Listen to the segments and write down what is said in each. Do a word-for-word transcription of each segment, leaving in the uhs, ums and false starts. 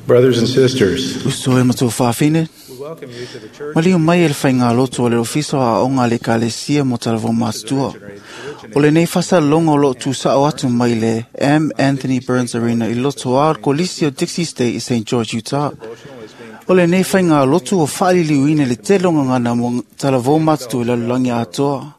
Brothers and sisters, Uso e matua whawhine, we welcome you to the church Maliu mai e le whainga loto o le ofisa a onga le kalesia mo talavou matutua. O le nei whasa longo lo tu sao atu mai le M. Anthony Burns Arena i loto a kolisi o Dixie State i Saint George, Utah. O le nei whainga loto o whaaliliuina le te longa ngana mo talavou matutua i lalulangi atoa.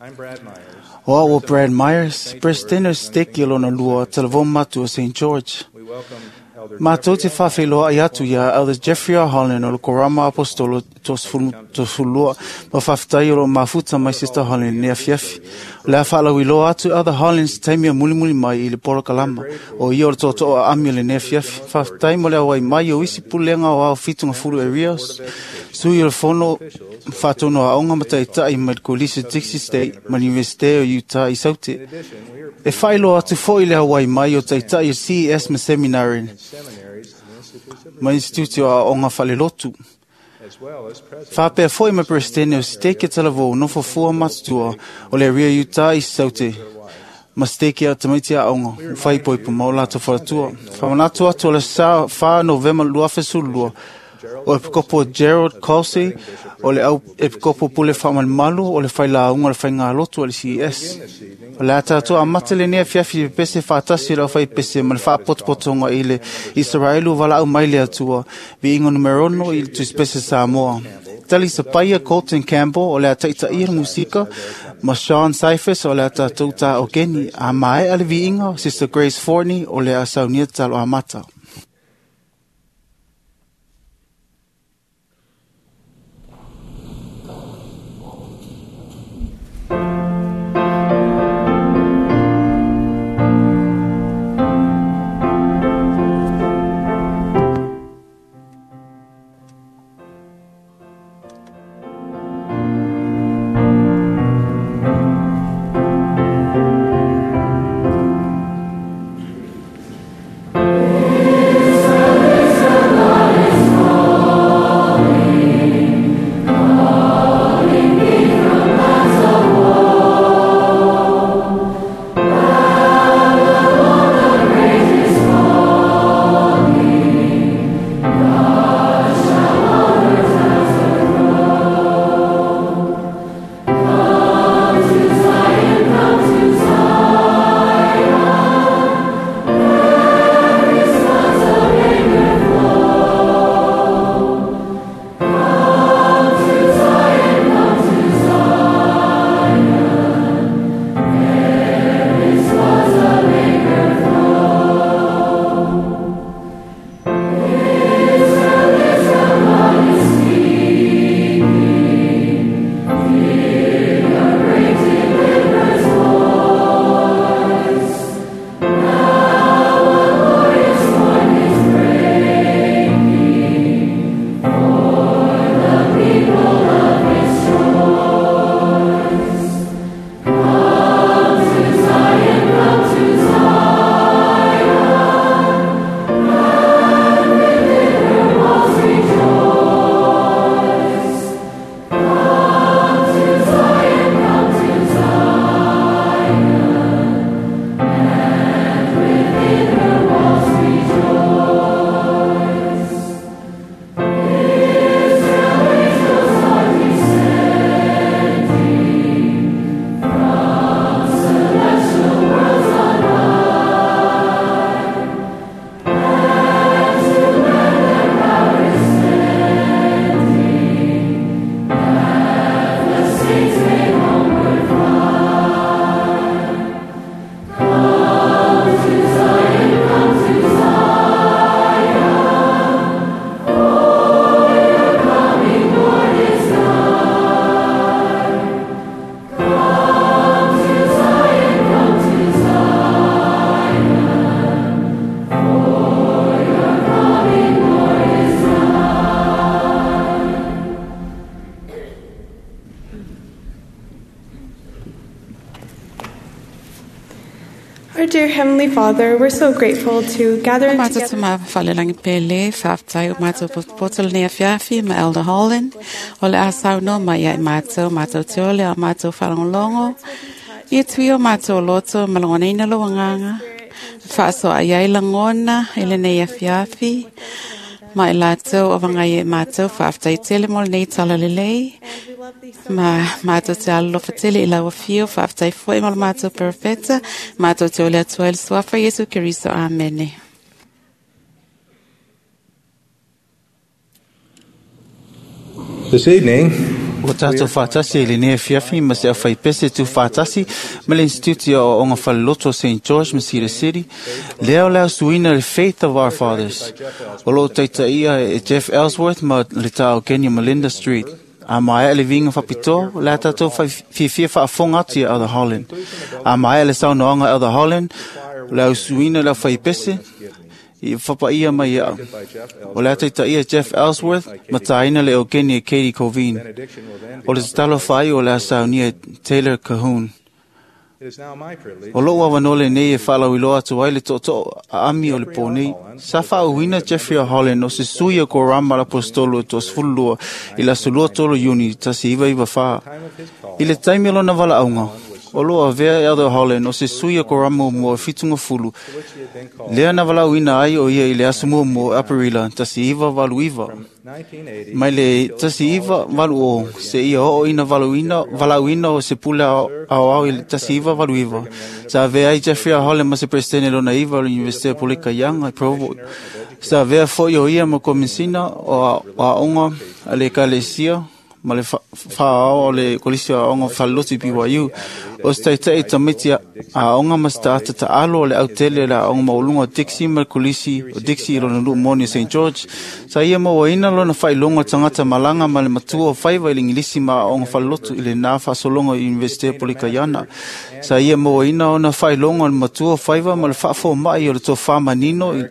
I'm Brad Myers. O au o Brad Myers, President o Steki o lona lua talavou matua Saint George. We welcome Elder Mātou te whawheloa i atu ia Elder Jeffrey R. Holland o le Korama Apostolo Tosfulua ma whawhitai o lo mafuta mai Sister Holland nea fiafi. O le a whaalawiloa atu Elder Holland se taimi a mulimuli mai i le polo kalama o ia o le toto a ami o le nea fiafi. Whawhitai mo le awai mai o isi pulenga o au fitunga fulu e Rios. Sui o le fono whatono a onga mataitai mai le kolisi Dixie State ma University o Utah i Saute. In addition, we are E whailoa atu foi le Hawaii mai o taitai o C E S ma seminary seminaries and institutes of ma institute o aoga falelotu. as well as presidents Whapea foi ma presidente o steke talavou nofo fua matutua o le ria Utah i Saute. Ma steke a tamaiti a aoga, whai poipu ma o lato wharatua. Whamanatu atu o le sa wha November luafesulua o Epikopo Gerald Colsey, o le au Epikopo Pule Whamanmalu, o le whailaunga o le whainga lotu o le C E S. this evening. O le atatua a matele nea fiafi e pese whaatasi lau whai pese ma le whaapotopotonga i le Israelu walau mai le atua, vi ingo numerono i le tuspese Samoa. Tali Sapaia Colton Campbell o le ataita ia musika, ma Sean Cyphers o le atatou tā o Keni, a mae ale vi ingo, Sister Grace Forney o le asaunia talo amata. Our dear Heavenly Father, we're so grateful to gather Mātou together. te mā whalelangi pele, whaftai o mātou potopoto le nea fiafi ma Elder Holland, o le asau no mai ai mātou, mātou te ole a mātou whalongolongo, i tui o mātou loto, malongoneina lo wanganga, Faasoa ai lagona i lenei afiafi. Ma i latou o vagai e matou faafetai tele mo lenei talalelei. Ma matou te alolofa tele i lau afio, faafetai foi mo le matou perofeta, matou te ole atu ai le suafa Iesu Keriso. Amene. This evening, Ua tātou whātasi e le nea fiafi ma se au whaipese tu whātasi ma le Instituti o Onga Whaleloto Saint George ma Cedar City. Leo leo suina le Faith of Our Fathers. O loo taita ia e Jeff Ellsworth ma le tao Kenya Melinda Street. A maea le vinga whapitoa, le tātou fiafia whaafonga atu ia Elder Holland. A maea le saunoanga Elder Holland, leo suina leo whaipese, i whapaia mai ia. O le taita ia Jeff Ellsworth, ma tāina le o Kenya Katie Covine. benediction will then be O le tatalo whai o le asaunia Taylor Cahoon. It is now my privilege O lou awanole nei e whaalawiloa atu ai le toto a ami o le pōnei. Sa whaauina Jeffrey R. Holland o se sui o Korama la Apostolo to sefululua i la sulua tolu Iuni tasi iwa iwa wha. time of his call I le taimi o lona wala aunga, o loa avea Elder Holland o se sui o Korama mo fitunga fulu. to which he had been called Lea na walauina ai o ia i le aso mua mo Aparila tasi iwa walu iwa. nineteen eighty Mai le tasi iwa walu o, se ia o ina waluina, walauina o se pule ao ao i le tasi iwa walu iwa. Sa avea ai Jeffrey R. Holland ma se presidente lona iwa o le Universite Polika Young i Provo. Sa avea foi o ia ma komisina o a- o aonga a le ekalesia ma le whaao o le kolisi o aonga whaloti B Y U. O se taitai tamiti a aonga ma se taata taalo o le autele le aonga maulunga o Dixie ma le kolisi o Dixie i lona luu moni o Saint George. Sa ia mauaina lona whailonga tangata malanga ma le matua o whaiva i le Ingilisi ma aonga whalotu i le nā whasolonga i Universite Polikaiana. Sa ia mauaina ona whailonga o le matua o whaiva ma le whaafo mai o le tō manino i,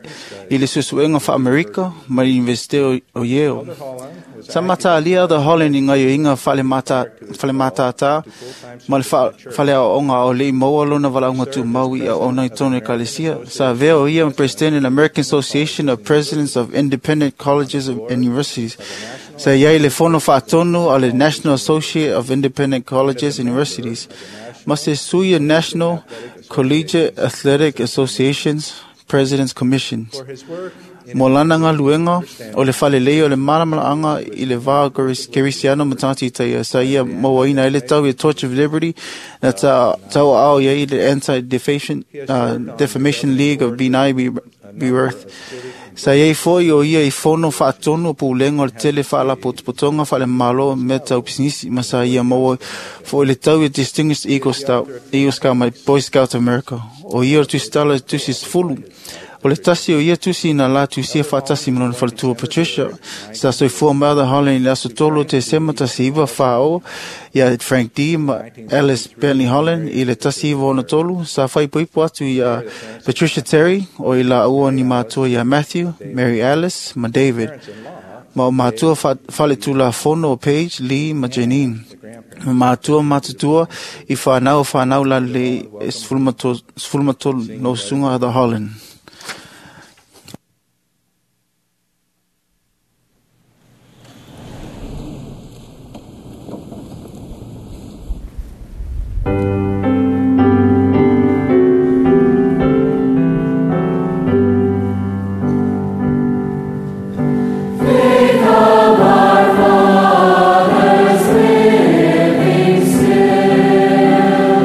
i le susuenga wha-Amerika ma le Universite o, o Yale. Holland was Sa mata alia the Holland i ngai o inga whale mata, whale matata, ma le wha, whale o onga o lei maua lona wala unga tu maui a ona i tonu e kalesia. Sa vea o ia president in American Association of Presidents of Independent Colleges and Universities. Sa iai le fono whaatonu a le National Associate of Independent Colleges and Universities. Ma se sui a National Collegiate Athletic Associations President's Commissions. for his work in Mo lana ngā luenga o le whalelei o le maramalaanga i le vā Kerisiano matati i taia. Sa ia mauaina i le tau i Torch of Liberty na ta, tau ao ia i le Anti-Defamation uh, Defamation League of Binai Be Worth. Sa ia i foi o ia i fono whaatonu o pūlenga o le tele whaalapotopotonga whaale malo me tau pisinisi ma sa ia maua foi le tau i Distinguished Eagle Scout, Eagle Scout mai Boy Scouts of America. O ia o tusitala tusi sefulu. O le tasi o ia tusi na la tusia whaatasi ma lona whaletua Patricia. Sa soifua mai Elder Holland i le aso tolu te sema tasi iwa whaao ia Frank D. ma Alice Bentley Holland i le tasi iwa ona tolu. Sa whaipoipo atu ia Patricia Terry o i la ua ni mātua ia Matthew, Mary Alice ma David. Ma o mātua whaletula fono o Paige, Lee ma Janine. Ma mātua matutua i whanau whanau la le sefulumatolu no sunga Elder Holland.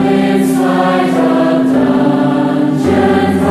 Inside of dungeons.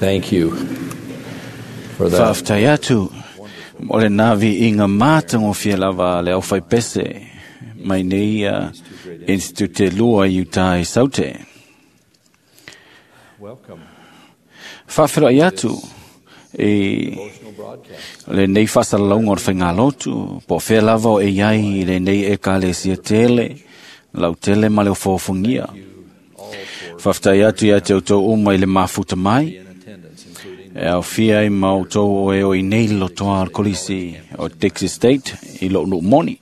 Thank you for that. Faafetai atu o le navi inga matagofie lava le aufaipese mai nei uh, Institute Lua i uta i Saute. Welcome. Faafeloai atu i Devotional broadcast. lenei faasalalauga o le faigalotu, po o fea lava o e iai i lenei ekalesia tele, lautele ma le ofofogia. Faafetai atu ia te outou uma i le mafuta mai, In attendance, including e aofia ai ma outou o e o i nei lotoa o le kolisi o Texas State i lou nuu moni.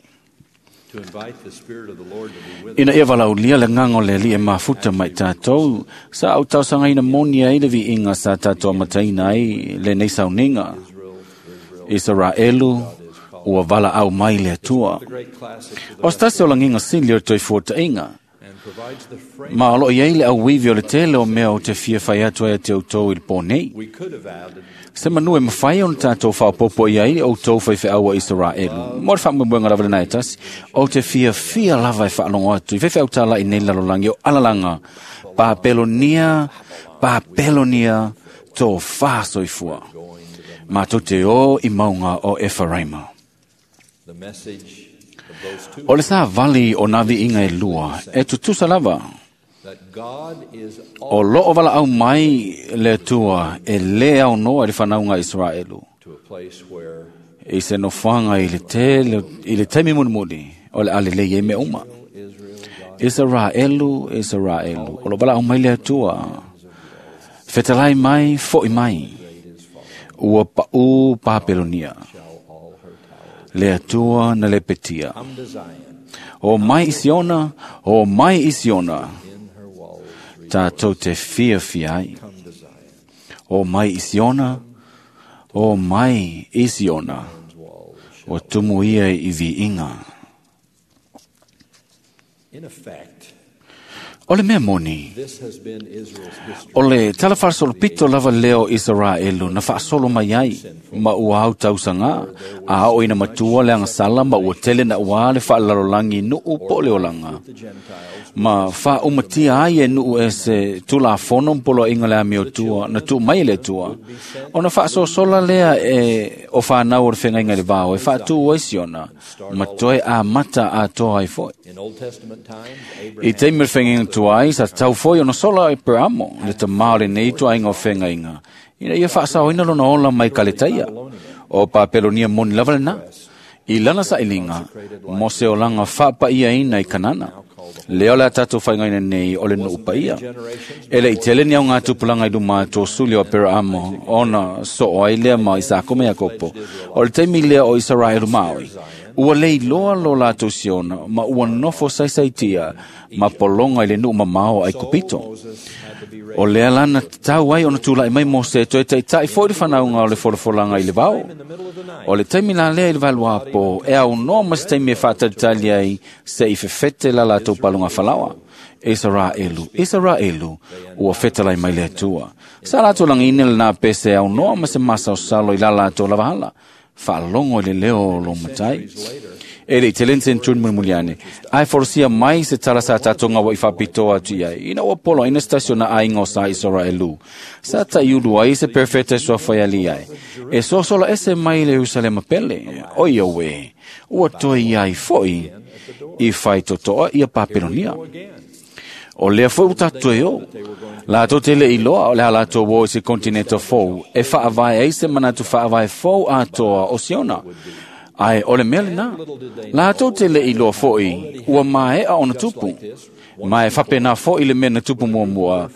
to invite the Spirit of the Lord to be with Ina ia valaulia le agaga o le Alii e mafuta mai tatou, sa au tausagaina moni ai le viiga sa tatou amataina ai lenei sauniga. Israel, Israel. Isaraelu ua valaau mai le Atua. The great classic to the O se tasi o lagiga sili o le toifuataʻiga, and provides the frame. ma o loo iai le auivi o le tele o mea o te fia fai atu ai a te outou i le pō nei. We could have added Se manu e mawhai o na tātou whaopopo i ai o tau whaiwheaua Israelu. Mo le whaamuamuanga lava lena e tasi, o te fia fia lava e whaalongo atu. I whewheau tāla i nei lalolangi o alalanga. Papelonia, Papelonia, tō whāsoifua. Mātou te o i maunga o Ephraima. the message of those two O le sā vali o navi inga e lua, e tutusa lava. that God is O loo wala au mai le tua e le au noa i le whanaunga Israelu. to a place where I se nofoaga i le tele i le taimi mulimuli o le a lelei ai mea uma. Israel, God Israelu, Israelu, o lo valaau mai le Atua. Fetalai mai, foʻi mai. Ua paʻū Papelonia. shall all her towers Le Atua na lepetia. come to Zion O mai i Siona, o mai i Siona. in her walls. Tātou te fiafia ai. Come to Zion, O mai i Siona, o mai i Siona. walls. O tumu ia i viiga. In effect, O le mea moni, this has been Israel's history. O le tala faasolopito lava lea o Isaraelu na faasolo mai ai ma ua au tausaga a oo ina matua le agasala ma ua tele na uā le faalalolagi nuu po o le olaga The Gentiles ma faaumatia ai e nuu e se tulafono ma poloaiga le amiotua na tuu mai e le Atua ona faasoasola lea e o fanau o le feagaiga i le vao e faatū ai siona ma toe amata atoa ai foʻi. in Old Testament times, I Abraham taimi o le feagaiga tuai, sa tatau foi ona sola e Aperamo, le tamā o lenei tuaiga o feagaiga. Ina ia faasaoina lona ola mai kaletaia. O Papelonia moni lava lena. I lana sailiga, mo se olaga faapaiaina i Kanana. Lea o le a tatou faigaina nei o le nuu paia. E le i tele ni au ngā tupulaga i luma atu o suli o Aperamo, ona soo ai lea ma Isako ma Iakopo. O le taimi lea o Isaraelu maoi. Ua leiloa lo latou siona, ma ua nofo saisaitia, ma pologa i le nuu mamao ai Kupito. Moses had to be raised O lea lana tatau ai ona tulaʻi mai Mose e toe taʻitaʻi foʻi le fanauga o le folafolaga i le vao. in the middle of the night. O le taimi la lea i le valuapo, e aunoa ma se taimi e faatalitali ai se i fefete la latou paluga falaoa. Israelu, Israelu, ua fetalai mai le Atua. Sa latou lagina lenā pese e aunoa ma se masaosalo i la latou lavahala. Faalogo i le leo o lo matai. E le i tele ni senturi mulimuli ane. Ae folosia mai se tala sa tatou gaua i faapitoa atu i ai. Ina ua poloaina se tasi o na aiga o sa Israelu. Sa taʻiulu ai se perfeta e suafai ali ai. E soasola ese mai le Ierusalema pele. O ia uē, ua toe iai foʻi i faitotoa ia Papelonia. O lea foi ua tatou e o. Latou te le iloa o le a latou o i se kontineta fou e faavae ai se manatu faavae fou atoa o Siona. Ae o le mea lenā. Latou te le iloa foʻi ua maea ona tupu. Ma e faapena foʻi le mea na tupu muamua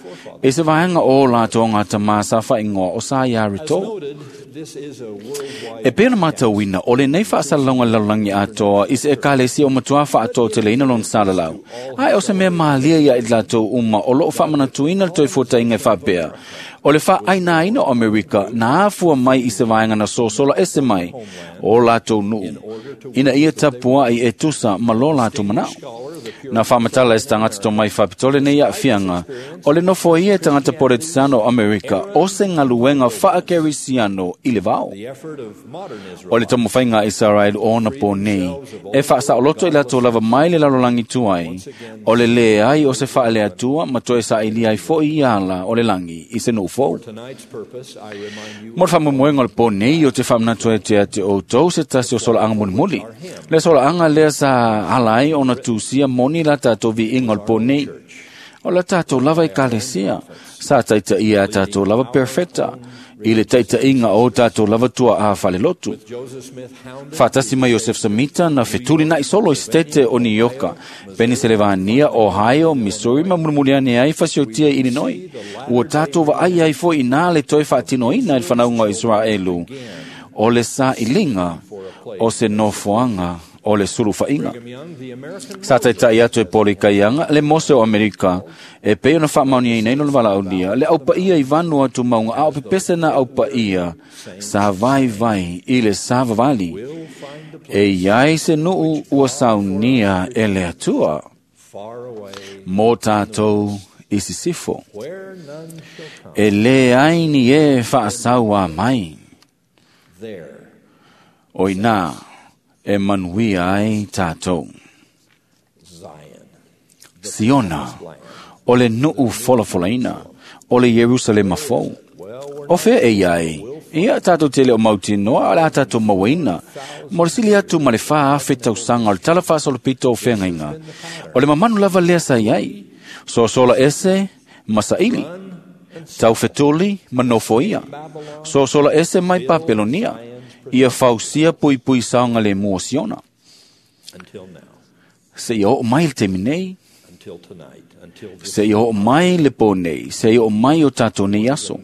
e se vaega o latou o gatamā sa faaigoa o sa iā Rito. Noted, this is a worldwide E pei ona matauina o lenei faasalalauga lalolagi atoa i se ekalesia o matuā faatoateleina lona salalau. Ae o se mea malia ia i latou uma o loo faamanatuina le toefuataiga e faapea. O le faaʻainaina o Amerika na afua mai i se vaega na sosola ese mai o latou nuu. Ina ia tapuaʻi e tusa ma lo latou manaʻo. Na faamatala e se tagata tomai faapitoa lenei aafiaga o le nofo ia e tagata poletisano o Amerika o se galuega faakerisiano i le vao. the effort of modern Israel O le taumafaiga a Israel o ona pō nei, e faasaoloto i latou lava mai le lalolagi tuai, o le lē ai o se faaleatua ma toe saili ai foʻi ia ala o le lagi i se nuu fou. Mo le faamoemoega o le po nei o te faamanatu ai te ate outou se tasi o solaaga mulimuli. Le solaaga lea sa ala ai ona tusia moni la tatou viiga o le po nei. O la tatou lava ekalesia, sa taitaia a tatou lava perfecta, i le taitaiga o tatou lava tua'a falelotu. Faatasi mai Iosef Samita na fetulina'i solo i setete o Nioka, Peniselevania, Ohio, Missouri ma mulimuli ane ai fasiotia i Illinois. Ua tatou vaai ai foi inā le toe faatinoina i le fanauga o Iseraelu o le sailiga o se nofoaga o le sulufa'iga. Sa taita'i atu e polo i kaiaga le Mose o Amerika e pei ona faamaoniaina ai le valaaulia le aupaia i vanu atu mauga a o pepese na aupaia sa vaivai i le savavali e iai se nuu ua saunia e le Atua mo tatou i sisifo e lē ai ni e faasauā mai o inā e manuia ai tatou. Siona, o le nuu folafolaina, o le Ierusalema fou. O fea e iai, ia tatou tele o mautinoa o le a tatou mauaina. Mo le sili atu ma le fā afe tausaga o le tala faasolopito o feagaiga. O le mamanu lava lea sa iai. Sosola ese ma saili. Taufetuli ma nofoia. Sosola ese mai Papelonia. Ia fausia puipui saoga le mua o Siona. Seia oo mai le taimi nei, seia oo mai le po nei, seia oo mai o tatou nei aso.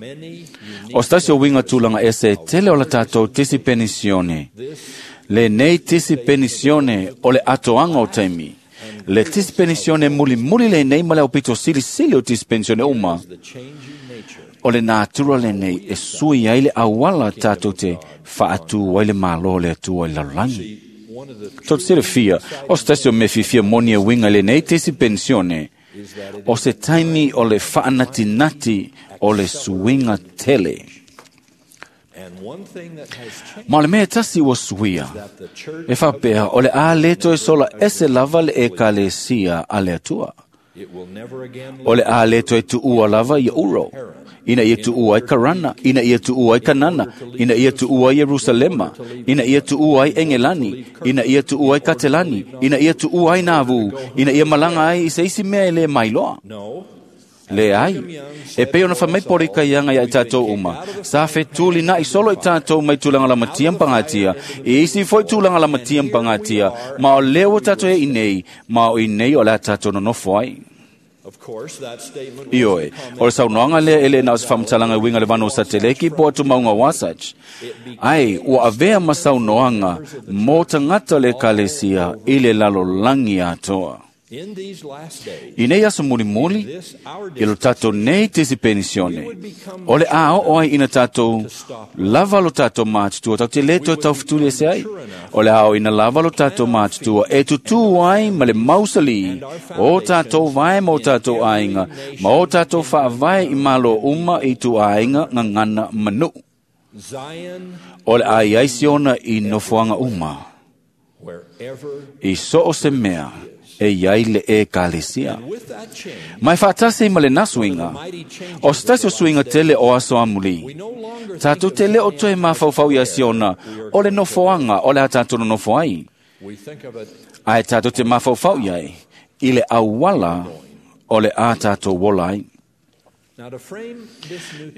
O se tasi o uiga tulaga ese e tele o la tatou tisi penisione. Lenei tisi penisione o le atoaga o taimi. Le tisi penisione mulimuli lenei ma le aupito silisili o tisi penisione uma. O le natura lenei e sui ai le auala tatou te faatū ai le Mālō le Atua i le lalolagi. Tou te silafia, o se tasi o mea fiafia moni e uiga i lenei tisi penisione, o se taimi o le faanatinati o le suiga tele. Ma o le mea e tasi ua suia, e faapea o le a lē toe sola ese lava le ekalesia a le Atua. O le a lē toe tuua lava ia Uro, ina ia tuua ai Karana, ina ia tuua ai Kanana, ina ia tuua ai Ierusalema, ina ia tuua ai Engelani, ina ia tuua ai Katelani, ina ia tuua ai Navu, ina ia malaga ai i se isi mea e lē mailoa. Leai, e pei ona faamai polo i kaiaga ia i tatou uma, sa fetulina'i solo i tatou mai tulaga lamatia ma pagatia, i isi foi tulaga lamatia ma pagatia, ma o lea ua tatou e i nei, ma o i nei o le a tatou nonofo ai. Ioe, o le saunoaga lea e lē na o se faamatalaga e uiga i le vanu o Sateleki po o tumauga o Wasatch. Ai, ua avea ma saunoaga mo tagata o le ekalesia i le lalolagi atoa. I nei aso mulimuli, i lo tatou nei tisi penisione, o le a oo ai ina tatou lava lo tatou matutua, tatou te lē toe taufetuli ese ai. O le a oo ina lava lo tatou matutua e tutū ai ma le mausalī o tatou vae ma o tatou aiga, ma o tatou faavae i malo uma i tuaiga gagana ma nuu. O le a iai Siona i nofoaga uma, i so o se mea e iai le ekalesia. Ma e faatasi ma lenā suiga, o se tasi o suiga tele o aso amulī. Tatou te lē o toe mafaufau ia Siona o le nofoaga o le a tatou nonofo ai. Ae tatou te mafaufau i ai i le auala o le a tatou ola ai.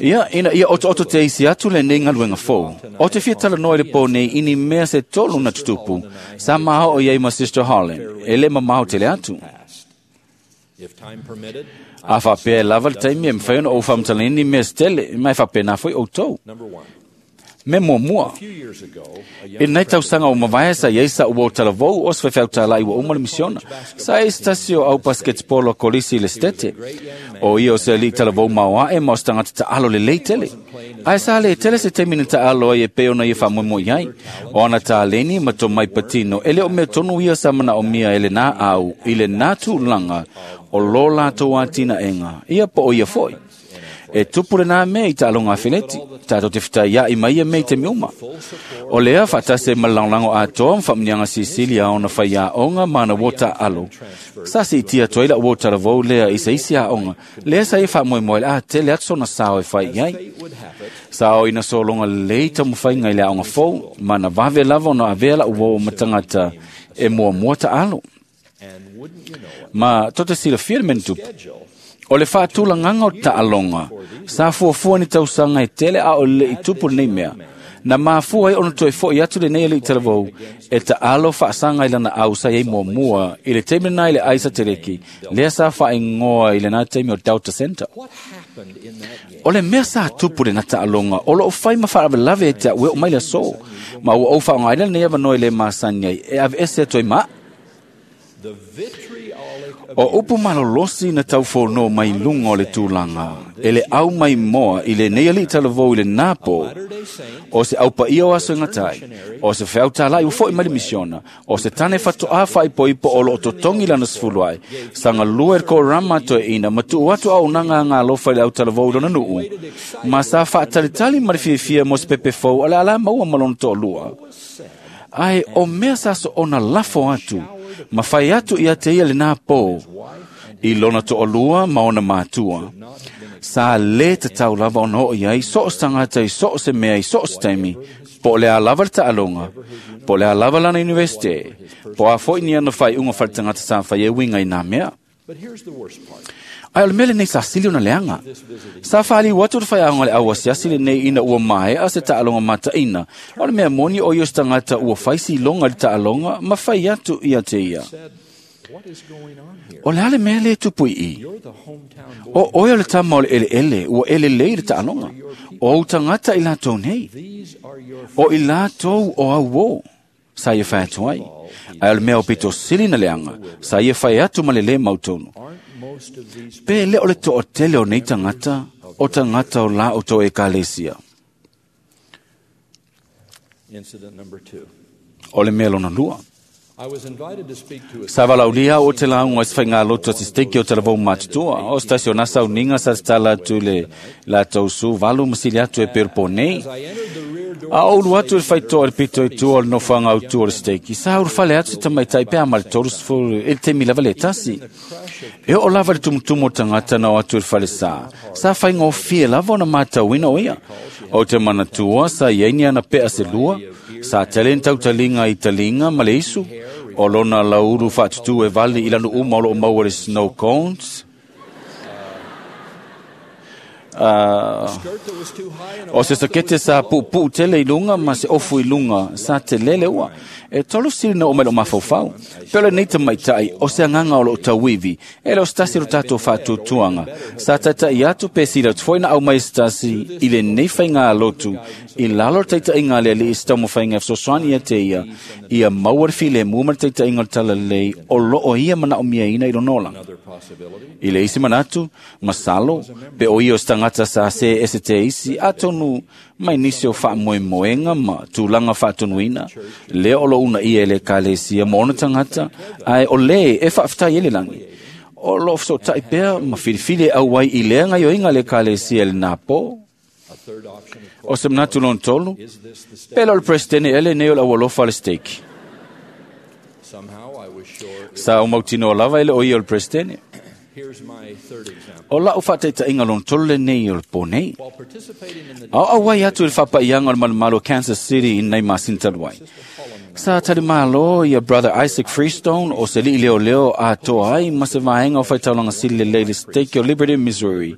Ia, ina ia otooto te isi atu lenei galuega fou. O te fia talanoa i le po nei i ni mea se tolu na tutupu, sa maoo i ai ma Sister Holland, e lē mamao tele atu. A faapea e lava le taimi e mafai ona ou faamatalaina ni mea se tele, ma e faapenā foi outou. Me muamua, i lenei tausaga ua mavae sa iai sa'u uo talavou o se faifeau tāla'i ua uma le misiona. Sa ai se tasi o au pasiketipolo a kolisi i le setete. O ia o se ali'i talavou maoaʻe ma o se tagata taʻalo lelei tele. Ae sa lē tele se taimi na taʻalo ai e pei ona ia faamoemoe ai. O ana taleni ma tomai patino e lē o mea tonu ia sa manaʻomia e lenā au i lenā tulaga o lo latou atinaʻega, ia po o ia foʻi. E tupu lena mea i taaloga afeleti, tatou te fetaia'i ma ia mea i taimi uma. O lea faatasi ai ma le lagolago atoa ma faamuniaga silisili a ona faiaoga ma ana uo taaalo. Sa siitia atu ai la'u uo talavou lea i se isi aoga, lea sa ia faamoemoe le a tele atu sona sao e fai i ai. Sa o ina sologa lelei taumafaiga i le aoga fou, ma na vave lava ona avea la'u uo ma tagata e muamua taalo. Ma tou te silafia le mea na tupu. O le faatulagaga o taaloga, sa fuafua ni tausaga e tele a o le'i tupu lenei mea. Na mafua ai ona toe fo'i atu lenei ali'i talavou e taalo faasaga i lana au sa iai muamua i le taimi lena i le ai sateleki, lea sa faaigoa i lena taimi o Delta Center. O le mea sa tupu lena taaloga o loo fai ma faalavelave e te a'u e oo mai le aso, ma ua ou faaaogaina lenei avanoa e lē masani ai e aveese atu ai ma a'u. O upu malolosi na taufono mai luga o le tulaga e le au mai moa i lenei ali'i talavou i lenā pō, o se aupaia o aso e gatai, o se feautala'i ua fo'i mai le misiona, o se tane fatoʻā faaipoipo o loo totogi lana sefulu ai, sagalua e le korama toeʻina ma tuu atu auaunaga agalofa i le autalavou i lona nuu, ma sa faatalitali ma le fiafia mo se pepe fou a le alā maua ma lona toalua. Ae o mea sa soona lafo atu, ma fai atu ia te ia lenā pō, i lona toalua ma ona matua. Sa lē tatau lava ona oo i ai so o se tagata i so o se mea i so o se taimi, po o le a lava le taaloga, po o le a lava lana universite, po o a fo'i ni ana faaiuga faletagata sa fai e uiga i nā mea. Ae o le mea lenei sa sili ona leaga. Sa faaliu atu le faiaoga le au asiasi lenei ina ua mae'a se taaloga mataʻina. O le mea moni o ia o se tagata ua fai siloga i le taaloga ma fai atu ia te ia. O le a le mea lē tupu i i? O oe o le tama o le eleele ua elelei i le taaloga. O ou tagata i latou nei. O i latou o au o. Sa ia fai atu ai. Ae o le mea o pito sili na leaga, sa ia fai atu ma le lē mautonu. Pe le o le toatele o nei tagata, o tagata o la outou ekalesia. O le mea lona lua. Sa valaulia o te lauga i se faigalotu a se steke o talavou matutua. O se tasi o nasa uniga sa tatala atu i le latou su valu ma sili atu e peo nei. A o ulu atu i le faitoa i le pito i tua o le nofoaga autu o le steki, sa ulufale atu se tamaitai pe a ma le tolu sefulu i le taimi lava le tasi. E oo lava i le tumutumu o tagata na o atu i le falesā, sa faigofie lava ona matauina o ia. O te manatua sa iai ni ana pea se lua, sa tele ni tautaliga i taliga ma le isu, o lona laulu faatutū e vali i lanu uma o loo maua le snow cones. Uh, o se sakete sa puupuu tele i luga ma se ofu i luga sa telele ua. E tolu sili na o mai loo mafaufau. Pe o lenei tamaitai o se agaga o loo tauivi, e le o se tasi o lo tatou faatuatuaga. Sa taita'i atu pe sili atu foi na au mai se tasi i lenei faiga alotu i lalo o le taita'iga a le alii se taumafaiga e fesoasoani ia te ia, ia maua le filemu ma le taita'iga o le talalelei o loo ia manaomiaina i lona olaga. I le isi manatu, masalo, pe o ia o se tagata sa se ese te isi, atonu mai nisi o faamoemoega ma tulaga faatonuina, lea o loo unaia e le ekalesia ma ona tagata, ae o lē e faafetai ai le lagi. O loo fesoota'i pea ma filifili e auai i lea gaioiga a le ekalesia i lenā pō. O se manatu lona tolu, pe le o le presidene ea lenei o le aualofa a le stake. Sa ou mautinoa lava e le o ia o le presidene. O la'u faataita'iga lona tolu lenei o le pō nei. A o auai atu i le faapaiaga o le malumalu o Kansas City i nei masina talu ai. Sa talimālō ia Brother Isaac Freestone o se li'i leoleo atoa ai ma se vaega o faitaulaga sili lelei i le Stake o Liberty, Missouri.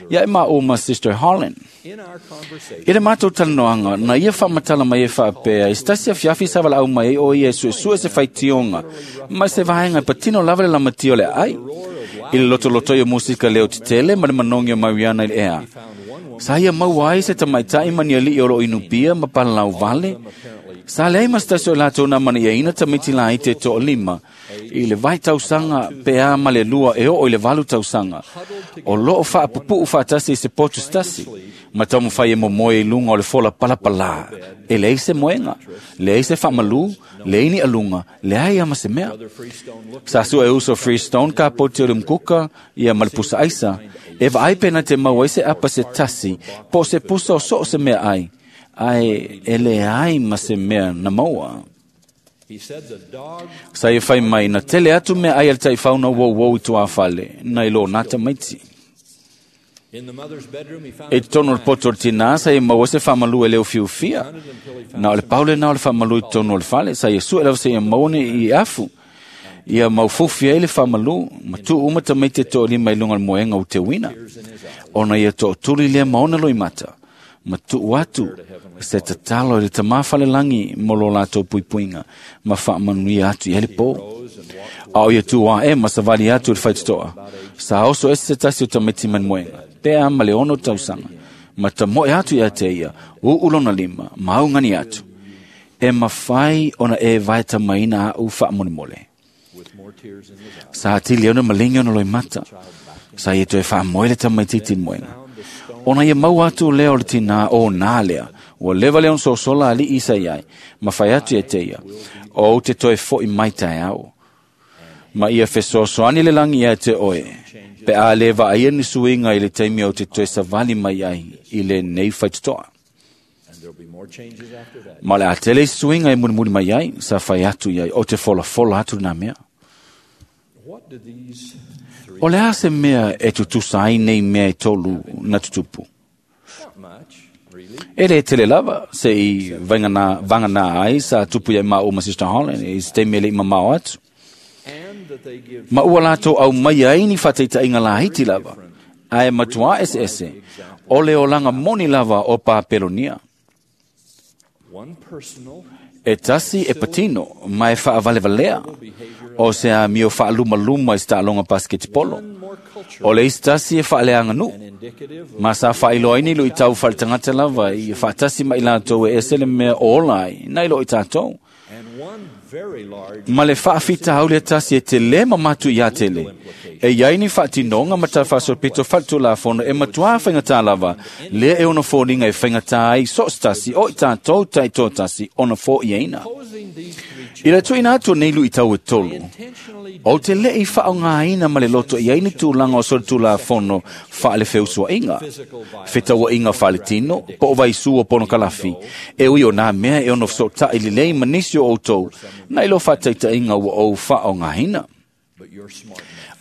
Ia e maʻu ma Sister Holland. I le matou talanoaga, na ia faamatala mai e faapea, i se tasi afiafi sa valaau mai ai o ia e suesue se faitioga ma se vaega e patino lava le lamatia o le aai. I le lotolotoi o musika leo tetele ma le manogi o Mariana i le ea. Sa ia maua ai se tamaita'i ma ni ali'i o loo inupia ma palalau vale, Sa leai ma se tasi o latou na maniaina tamaiti laiti e toalima i le vai tausaga pe a ma le lua e oo i le valu tausaga. O loo faapupuu faatasi i se poto se tasi, ma taumafai e momoe i luga o le fola palapalā. E leai se moega, leai se faamalū, leai ni aluga, leai ama se mea. Sa sue uso Freestone ka poti o le mkuka ia ma le pusa aisa, e vaai pena te mau ai se apa se tasi, po se pusa o soo se mea ai, ai e leai ma se mea na maua. Sa e fai mai na tele atu mea ai al taifau na wau wau i tuafale, na ilo nata maiti. E totonu o le poto o le tinā sa e maua se faamalu e leo fiufia. Na o le paule na o le faamalu i totonu o le fale, sa e sue lava seia maua ni i afu. Ia maufofi ai le faamalu, ma tuu uma tamaiti e toalima i luga o le moega o teuina. Ona ia tootuli lea ma ona loimata, ma tuu atu se tatalo i le tamā falelagi mo lo latou puipuiga ma faamanuia atu i ai le pō. A o ia tu ae ma savali atu i le faitotoa, sa oso ese se tasi o tamaiti mai le moega, pe a ma le ono tausaga, ma tamoe atu ia te ia, uu lona lima, ma augani atu. E mafai ona e vaetamaina au faamolemole. Sa atili ona malingi ona loimata, sa ia toe faamoe le tamaitiiti i le moega. Ona ia maua atu lea o le tinā o nā lea, ua leva lea ona sosola alii sa iai, ma fai atu ia te ia, o te toe fo'i mai taeao. Ma ia fesoasoani le lagi ia te oe, pe a le vaaia ni suiga i le taimi o te toe savali mai ai i lenei faitotoa. Ma le a tele isi suiga e mulimuli mai ai, sa fai atu iai, o te folafola atu lena mea. O le a se mea e tutusa ai nei mea e tolu na tutupu? E le tele lava se i vangana, vangana ai sa tupu ia ma o ma Sister Holland i se taimi e le i mamao atu. Ma ua latou au mai ai ni faataitaiga laiti lava, ae matuā eseese, o le olaga moni lava o Papelonia. E tasi e patino, ma e faavalevalea, o se amio faalumaluma i se taaloga pasiketipolo. O le isi tasi e faaleaganuu, ma sa faailoa ai ni luitau faaletagata lava ia faatasi ma i latou e ese le mea o ola ai, nai lo i tatou. Ma le faafitauli e tasi e te lē mamatu iā tele, e iai ni faatinoga ma talafaasolopito faletulafono e matuā faigatā lava, lea e ono foliga e faigatā ai so o se tasi o i tatou taitoatasi ona fo'iaina. I le tuuina atu o nei luitau e tolu, o te le'i faaogāina ma le loto i ai ni tulaga o soletulafono faalefeusua'iga, fetaua'iga faaletino, po o vaisū o ponokalafi, e ui o nā mea e ono fesoota'i lelei ma nisi o outou, na i lo faataita'iga ua ou faaogāina.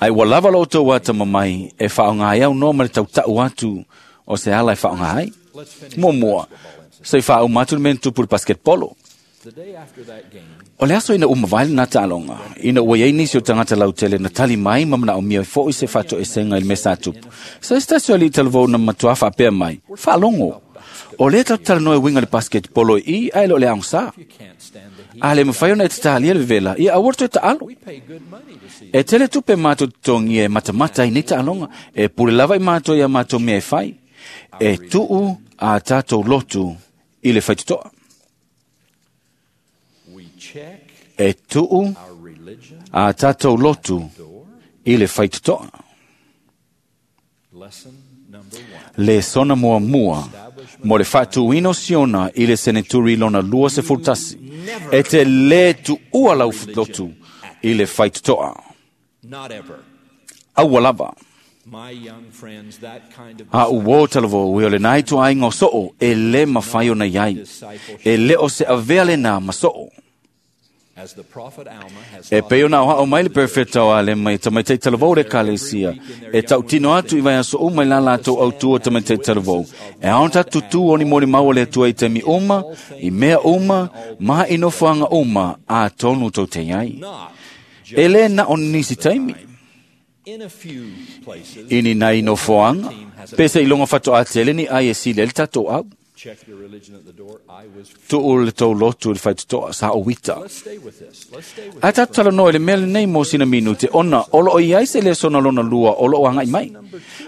Ai ua lava lo outou atamamai e faaogā ai aunoa ma le tauta'u atu o se ala e faaogā ai. Muamua, se i faauma atu le mea na tupu i le basketbolo. O le aso ina uma vai lena taaloga, ina ua iai nisi o tagata lautele na tali mai ma manaomia fo'i se faatoesega i le mea sa tupu. Sa se tasi o alii talavou na matuā faapea mai, faalogo. O lea tatou talanoa e uiga i le basketbolo i i, ae le o le aogasā. A le mafai ona e tatalia le vevela, ia aua le toe taalo. E tele tupe matou totogia e matamata ai nei taaloga, e pule lava i matou ia matou mea e fai. E tuu a tatou lotu i le faitotoa. E tuu a tatou lotu i le faitotoa. Le sona muamua mo le faatuina o Siona i le seneturi lona lua sefulu tasi. E te lē tuua lau lotu i le faitotoa. Aua lava. A uō talavou e o lenā ituaiga o soo e lē mafai ona iai. E lē o se avea lenā ma soo. E pei ona aoao mai le perfeta o Alema i tamaiti talavou le ekalesia, e tautino atu i vaiaso uma i la latou autua tamaiti talavou. E ao ona tatou tutū o ni molimau o le Atua i taimi uma, i mea uma, ma i nofoaga uma atonu tou te iai. E lē na o nisi taimi. I ni nai nofoaga, pe seiloga fatoā tele ni ai e sili ai le tatou au. Tuu le tou lotu i le faitotoa sa o uita. Ae tatou talanoa i le mea lenei mo sina minute, ona o loo i ai se lesona lona lua o loo aga'i mai.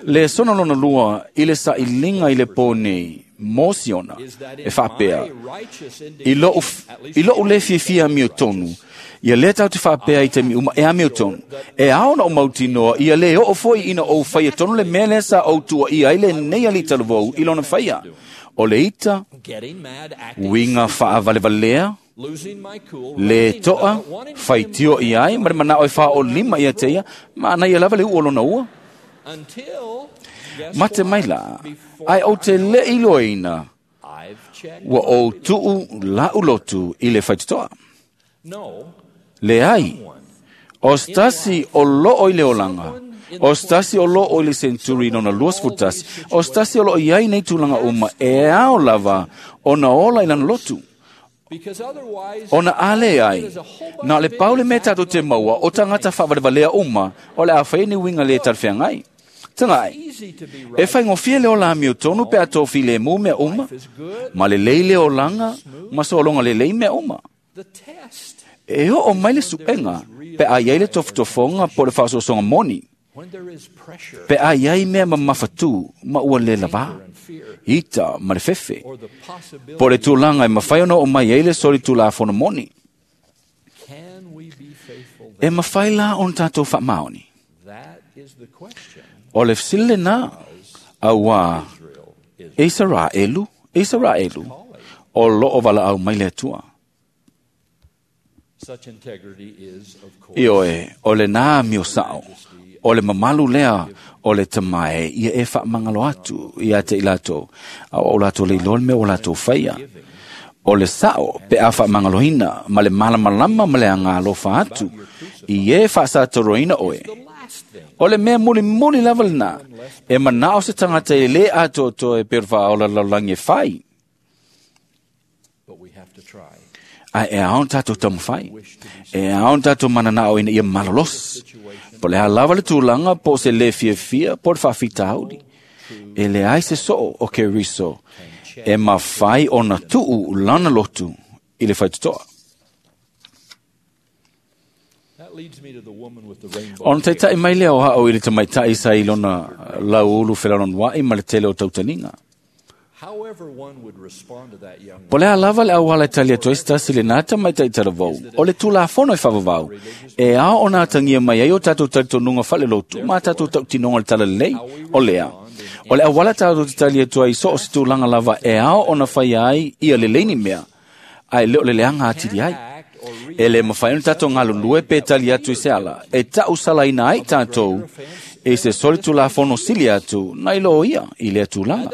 Lesona lona lua i le sailiga i le pō nei, mo Siona e faapea i lou i lou le fiafia amiotonu ia lea tatou te faapea i taimi uma e amiotonu e ao na o mautinoa ia le oo foi ina ou faia tonu le mea lea sa ou tuuaia ai lenei alii talavou i lona faia o le ita uiga faavalevalea le toa faitio i ai ma le manao e faaolima ia te ia ma anaia lava le uu o lona ua mate mai la ai ou te le iloaina ua ou tuu la'u lotu i le faitotoa leai o se tasi o loo i le olaga o se tasi o loo i le senturi lona luasefulu tasi o se tasi o loo i ai nei tulaga uma e ao lava ona ola i lana lotu ona a le ai na o le pau le mea tatou te maua o tagata faavalevalea uma o le a fai ni uiga lē talafeagai tagaʻi e faigofie le ola amiotonu pe a tofilemu mea uma ma lelei le olaga ma sologa lelei mea uma e oo mai le suʻega pe a iai le tofotofoga po o le faaosoosoga moni pe a iai mea mamafatū ma ua lē lavā ita ma le fefe po o le tulaga e mafai ona oo mai ai le solitulafono moni e mafai la ona tatou faamaoni o le fesili lenā auā Isaraelu Isaraelu o loo valaau mai le Atua Ioe, o le nā amio sao, o le mamalu lea o le tamae ia e faamagalo atu ia te i latou, a o latou le iloa le mea ua latou faia. O le sao pe a faamagaloina ma le malamalama ma le agalofa atu i e faasatoroina oe. O le mea mulimuli lava lenā, e manao se tagata e lē atoatoa e pei o le faaola lalolagi e fai. Ae e ao ona tatou taumafai e ao ona tatou mananao ina ia malolosi po o le a lava le tulaga po o se lē fiafia po o le faafitauli e leai se soo o Keriso e mafai ona tuu lana lotu i le faitotoa. Ona taitaʻi mai lea o haʻo i le tamaitaʻi sa i lona lauulu felalonoaʻi ma le tele o tautaniga. Po le a lava le auala e tali atu ai se tasi lenā tamaitaʻi talavou o le tulafono e faavavau e ao ona atagia mai ai o tatou talitonuga faalelotu ma tatou tautinoga o le talalelei o lea o le auala tatou te tali atu ai so o se tulaga lava e ao ona faia ai ia lelei ni mea ae le o le leaga atili ai e le mafai ona tatou galulue pe tali atu i se ala e taʻusalaina ai tatou e se solitulafono sili atu nai lo ia i lea tulaga.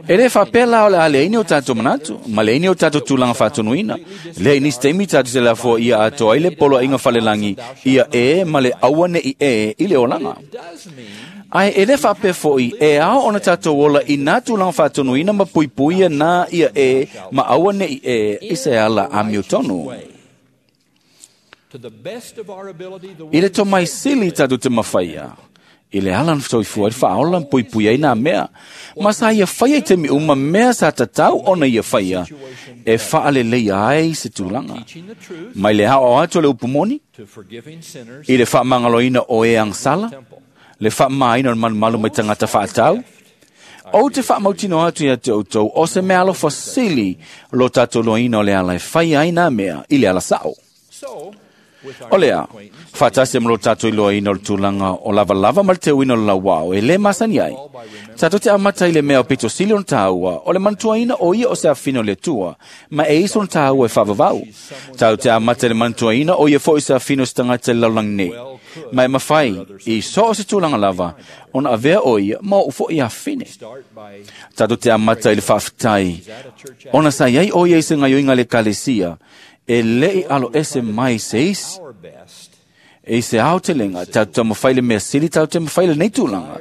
E lē faapea la o le a leaini o tatou manatu ma leaini o tatou tulaga faatonuina lea i nisi taimi tatou te lafoa ia atoa ai le poloaiga falelagi ia e ma le aua neʻi e i le olaga. Ae e lē faapea foʻi e ao ona tatou ola i nā tulaga faatonuina ma puipuia nā ia e ma aua neʻi e i se ala amiotonu. I le tomaisili tatou te mafaia i le ala na soifua ai le faaola ma puipui ai nā mea ma sa ia faia i taimi uma mea sa tatau ona ia faia e faaleleia ai se tulaga mai le aoao atu o le upu moni i le faamagaloina o e agasala le faamamaina o le malumalu mai tagata faatau ou te faamautinoa atu ia te outou o se mea alofa sili lo tatou loaina o le ala e faia ai nā mea i le ala saʻo. O lea, faatasi ma lo tatou iloaina o le tulaga o lavalava ma le teuina o le lauao e lē masani ai. Tatou te amata i le mea o pito sili ona tāua o le manatuaina o ia o se afine o le Atua ma e iso ona tāua e faavavau. Tatou te amata i le manatuaina o ia foʻi se afine o se tagata i le lalolagi nei. Ma e mafai i so o se tulaga lava ona avea o ia ma oʻu foʻi afine. Tatou te amata i le faafetai ona sa iai o ia i se gaioiga le ekalesia e leʻi alo ese mai se isi e i se aotelega tatou taumafai le mea sili tatou te mafai lenei tulaga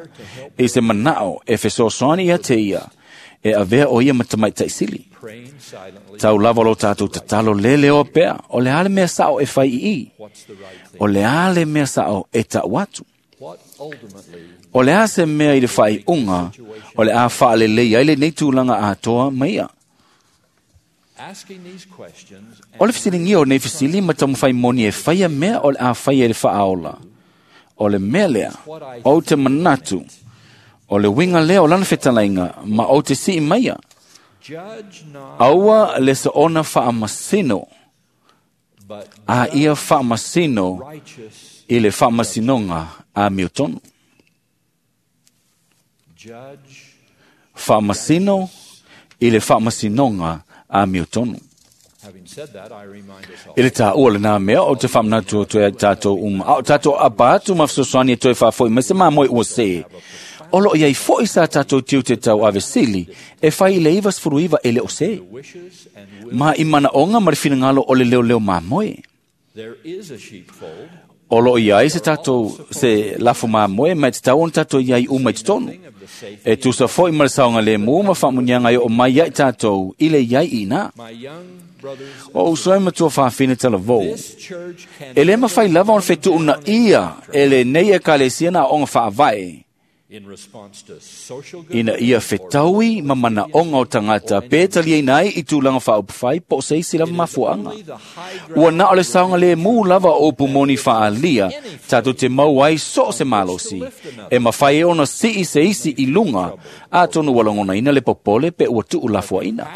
e i se manao e fesoasoani ia te ia e avea o ia ma tamaitaʻi sili. Tau lava lo tatou tatalo leleoa pea o le a le mea saʻo e fai iī o le a le mea saʻo e taʻu atu o le a se mea i le faaiuga o le a faalelei ai lenei tulaga atoa ma ia. O le fesiligia o nei fesili ma taumafai moni e faia mea o le a faia i le faaola. O le mea lea, ou te manatu, O le winga lea o lana fetalaiga ma o te sii maia. Aua le soona faamasino, a ia faamasino i le faamasinoga a miotonu. Faamasino i le faamasinoga a miotonu. I le tāua le nā mea o te whaamanatu o toe tātou uma. A o tātou apa atu ma fesoasoani e toe whaafoi mai se māmoe ua se. O lo iai foi sa tātou tiu te tau avesili e whai i le iwa sefulu iwa e le o se. Ma i mana onga ma le finangalo o le leo leo māmoe. O lo iai se tātou se lafu māmoe mai te tau on tātou iai uma i te tonu. E tusa foi ma le saonga le mu ma whaamunianga i o mai ai tātou i le iai i nā. O usoe matua whaafine tala vou. E le mawhai lava on whetu una ia e le nei e kalesia na onga whaavae. Ina ia whetaui ma mana onga o tangata pe talia inai i tūlanga whaupawhai po se isi lava mafuanga. Ua na o le saonga le mū lava o pumoni whaalia tātou te mau ai so se malosi. E mawhai e ona si i se isi i lunga a tonu walongona ina le popole pe ua tuu lafua ina.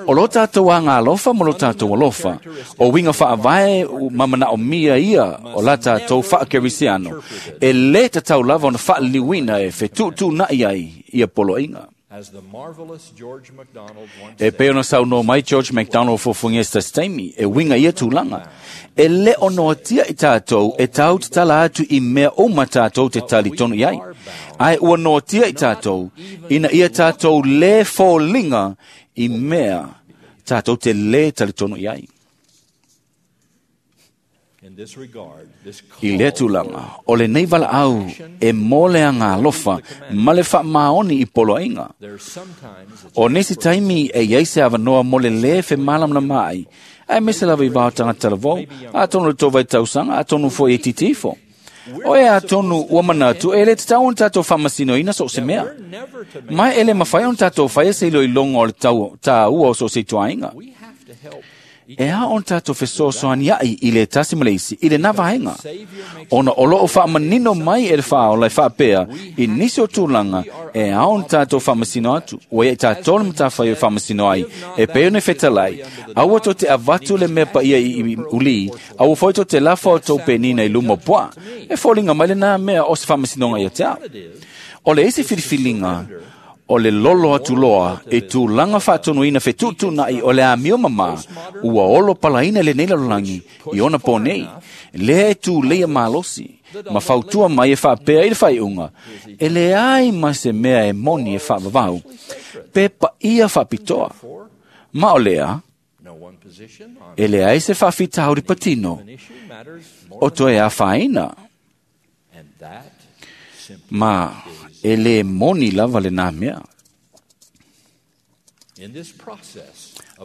O lo tātou a ngā alofa mo lo tātou alofa. O winga whaavae mamana o mia ia o la tātou whaakerisiano. E le tatau lava ona whaaliliwina e whetutu na iai ia poloinga. E pe ona sau no mai George MacDonald fofungia sa steimi e winga ia tūlanga. E le ono atia i tātou e tau te tala atu i mea o ma tātou te tali tonu iai. Ai ua no atia i tātou ina ia tātou le fōlinga i mea tātou te le tali tonu iai. I le tūlanga, o le nei wala au e mōle a ngā alofa ma le whaamaoni i poloinga. O nisi taimi e iei se awanoa mole le fe malam na mai, ai mese lava i vao tangata lavou, a tonu le tō vai tausanga, a tonu fo e titifo. O e a tonu ua manatu e le te tau on tātou whamasino ina so se mea. Mai ele mawhai on tātou whaia se ilo i longa o le tau, tā ua o so se tuainga. E a on tātou fesoasoani ai i le tasi maleisi, i le nā vaenga. Ona o loo whaamanino mai e le whaola e whaapea i nisi o tūlanga e a on tātou whaamasino atu. Ua e tātou le matawhai o whaamasino ai e peo ne whetalai. Aua tō te avatu le mea pa ia i uli, aua foi tō te lafa o tō penina i luma poa. E fōlinga mai le nā mea o se whaamasinonga ia te au. O le isi whiriwhilinga, o le lolo atu loa e tūlanga whaatonuina whetūtūnai o le amio mama ua olo palaina le nei lalolangi i ona pōnei. Lea e tū leia malosi, ma fautua mai e whaapea i le whaiunga. E le ai ma se mea e moni e whaavavau, pe pa ia whaapitoa. Ma o lea, e le ai se whaafita hauri patino, o toe a whaina. Ma e le moni lava le nā mea.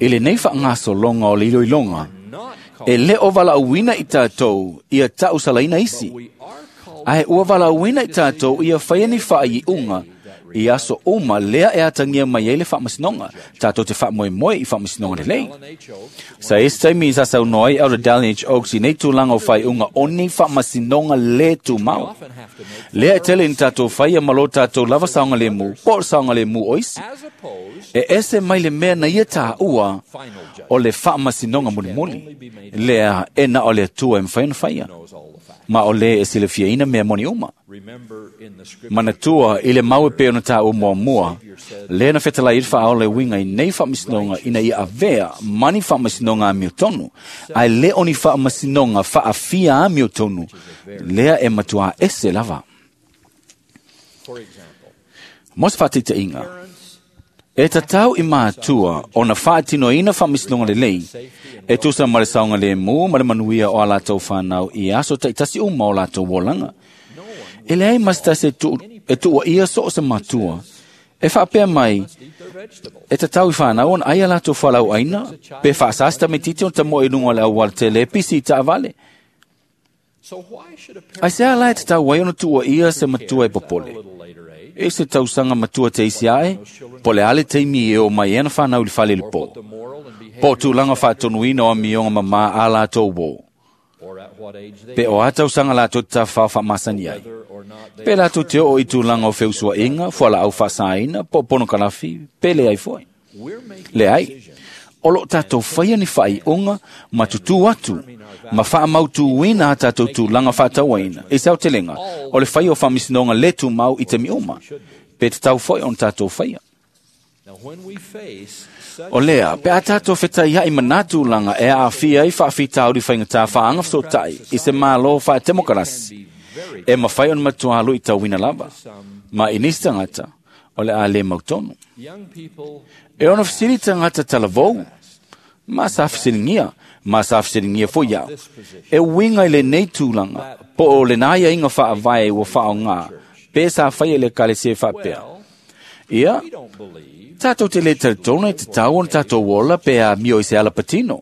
E le nei whaangasolonga o le iloilonga, e le o walauina i tātou ia tau salaina isi. Ae ua walauina i tātou ia whaiani whaai unga, i aso uma lea e atangia mai ai le whaamasinonga, tātou te whaamoemoe i whaamasinonga le lei. Sa esi taimi sa sau noai au Dallin H. Oaks i nei tūlanga o whai unga o ni whaamasinonga le tūmau. Lea e tele ni tātou whaia malo tātou lava saonga le mu, po saonga le mu o isi. E ese mai le mea na ia tā ua o le whaamasinonga mulimuli. Lea e na o le atua e mwhai na whaia. Ma o le e silafia ina mea moni uma. Manatua i le maue pe ona tā o mua mua, le na whetalai i whaao le winga i nei whaamasinonga ina ia avea mani whaamasinonga a miotonu, ai le oni whaamasinonga whaafia a miotonu, lea e matua ese lava. Mos whaatita inga, e tatau i mātua o na whaatino ina whaamasinonga le lei, e tusa ma le saonga le mū ma le manuia o a lātou whanau i aso taitasi uma o lātou wolanga. E leai mas tasi e tuua ia so o se matua. E whaapea mai, e tatau i whanau on ai a lātou whalau aina, pe whaasasta me titi on ta moe lunga le awal te le pisi i taavale. Ai se ala e tatau ai ona tuua ia se matua e popole. E se tausanga matua te isi ae, po le ale teimi e o mai ena whanau i whale le po. Po tūlanga whaatonuina o mionga mama a lātou wō. Pe o a tausanga lātou ta whao whaamasani ai. Pe lātou te o i tūlanga o feusuainga, fuala au whaasaina, po pono kalafi, pe le ai foi. Le ai, o lo tātou whaia ni whai unga, ma tutu atu, ma wha mautuina a tātou tūlanga whaatauaina. E sau telenga, o le whai o whamisinonga le tū mau i te mi uma, pe te tau foi on tātou whaia. O lea, pe a tātou whetai hai manatūlanga e a awhia i whaawhitauri whainga whaanga whsotai i se mālo wha temokarasi. E mawhai on matua alu i tauwina lava. Ma inisi tangata, o le a le mautonu. E ono whisiri tangata talavou, ma sa whisiringia, ma sa whisiringia fo iau. E winga i le nei tūlanga, po o le nāia inga whaavae ua whao ngā, pe sa whai e le kale se whapea. Ia, tātou te le tautona i te tau on tātou ola pe a mio i se ala patino.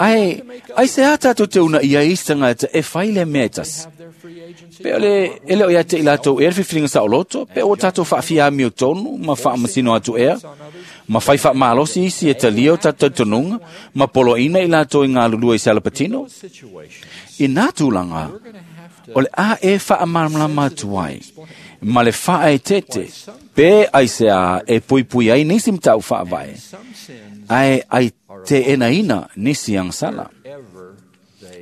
Ai, ai se a tātou te una ia i tangata e whai le mea tasi. Pe ole, ele o ia te i lātou e whiwhiringa sa oloto, pe o tātou whaawhia mio tonu, ma whaamasino atu ea, ma whai wha malosi isi e talia o tātou tonunga, ma polo ina i lātou i ngā lulua i se ala patino. I nā tūlanga, o le a e whaamalama atu ai, ma le wha e tete, pe ai se a e pui pui ai nisi mtau whaavae, ai ai te ena ina nisi ang sala.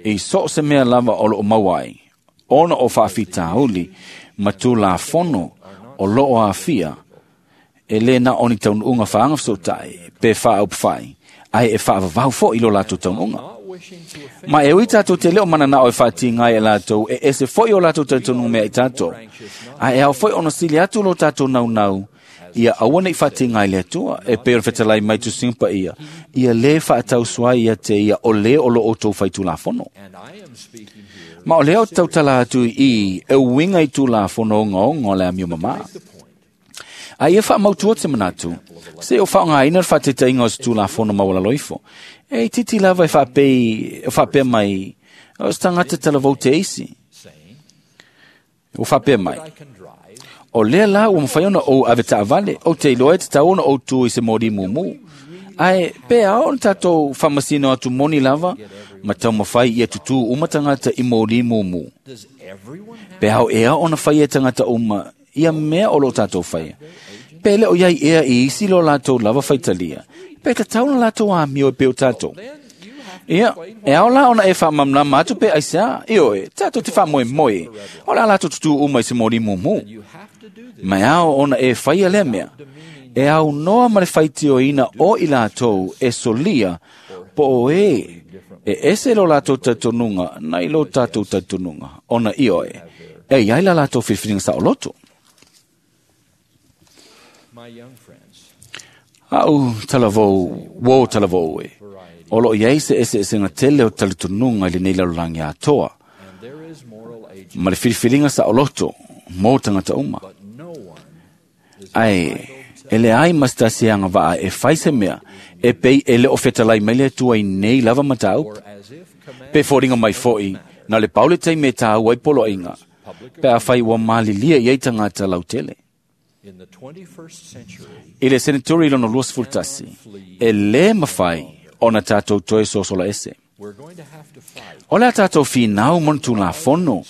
I so se mea lava o lo mauai, ona o whaawhitauli, ma tū la fono o lo o awhia, e le na oni taununga whaanga whsotai, pe whaopwhai, ai e whaavavau fo i lo lātou taununga. Ma e ui tātou te leo mana nao e whāti ngai e lātou, e ese foi o lātou tautonunga mea i tātou. A e au foi ono sili atu lo tātou nau nau, ia aua nei whāti ngai le atua, e pēr whetalai mai tu simpa ia, ia le whaatau suai ia te ia o le o lo o tō whai tūlafono. Ma o leo tautala atu i e uinga i tūlafono o ngā le amio mama. A ia wha mautua te manatu, se o wha ngā ina wha te inga o se tūlafono mawala loifo. E titi lava e whapei, whapea mai, o se tangata talavou te isi. O whapea mai. O lea la ua mwhai ona o ave taavale, o te iloa e te tau ona o tū i se mori mumu. Ae, pe ao ona tātou whamasino atu moni lava, ma tau mawhai ia tutu uma tangata i mori mumu. Pe ao ea ona whai e tangata uma, ia mea o lo tātou whaia. Pe le o iai ea i isi lo lātou lava whaitalia. Pe te tauna lātou a mio e peo tātou. Ia, e ao la ona e whamamlama atu pe aisea, io e, tātou te whamoe moe, o la lātou tutu uma i se mori mumu. Ma ao ona e whaia lea mea, e au noa ma le whaitio ina o i lātou e solia, po o e, e ese lo lātou tautonunga, na i lo tātou tautonunga, ona io e, e iai la lātou whiwhiringa sa oloto. Au talavou, wo talavou e. O lo iai se ese ese ngā tele o talitonunga i le nei lalulangi atoa. Ma le whiriwhiringa sa oloto, mō tangata uma. Ai, e le ai mastasi anga vaa e whai se mea, e pei e le o whetalai mai le atua i nei lava matau. Pe fōringa mai fōi, na le paule tei me tāu ai polo inga. Pe a whai ua malilia i ei tangata lautele. I le senaturi lono luas fultasi, e le mawhai ona tātou toe sosola ese. O le a tātou whinau mon tū la fono,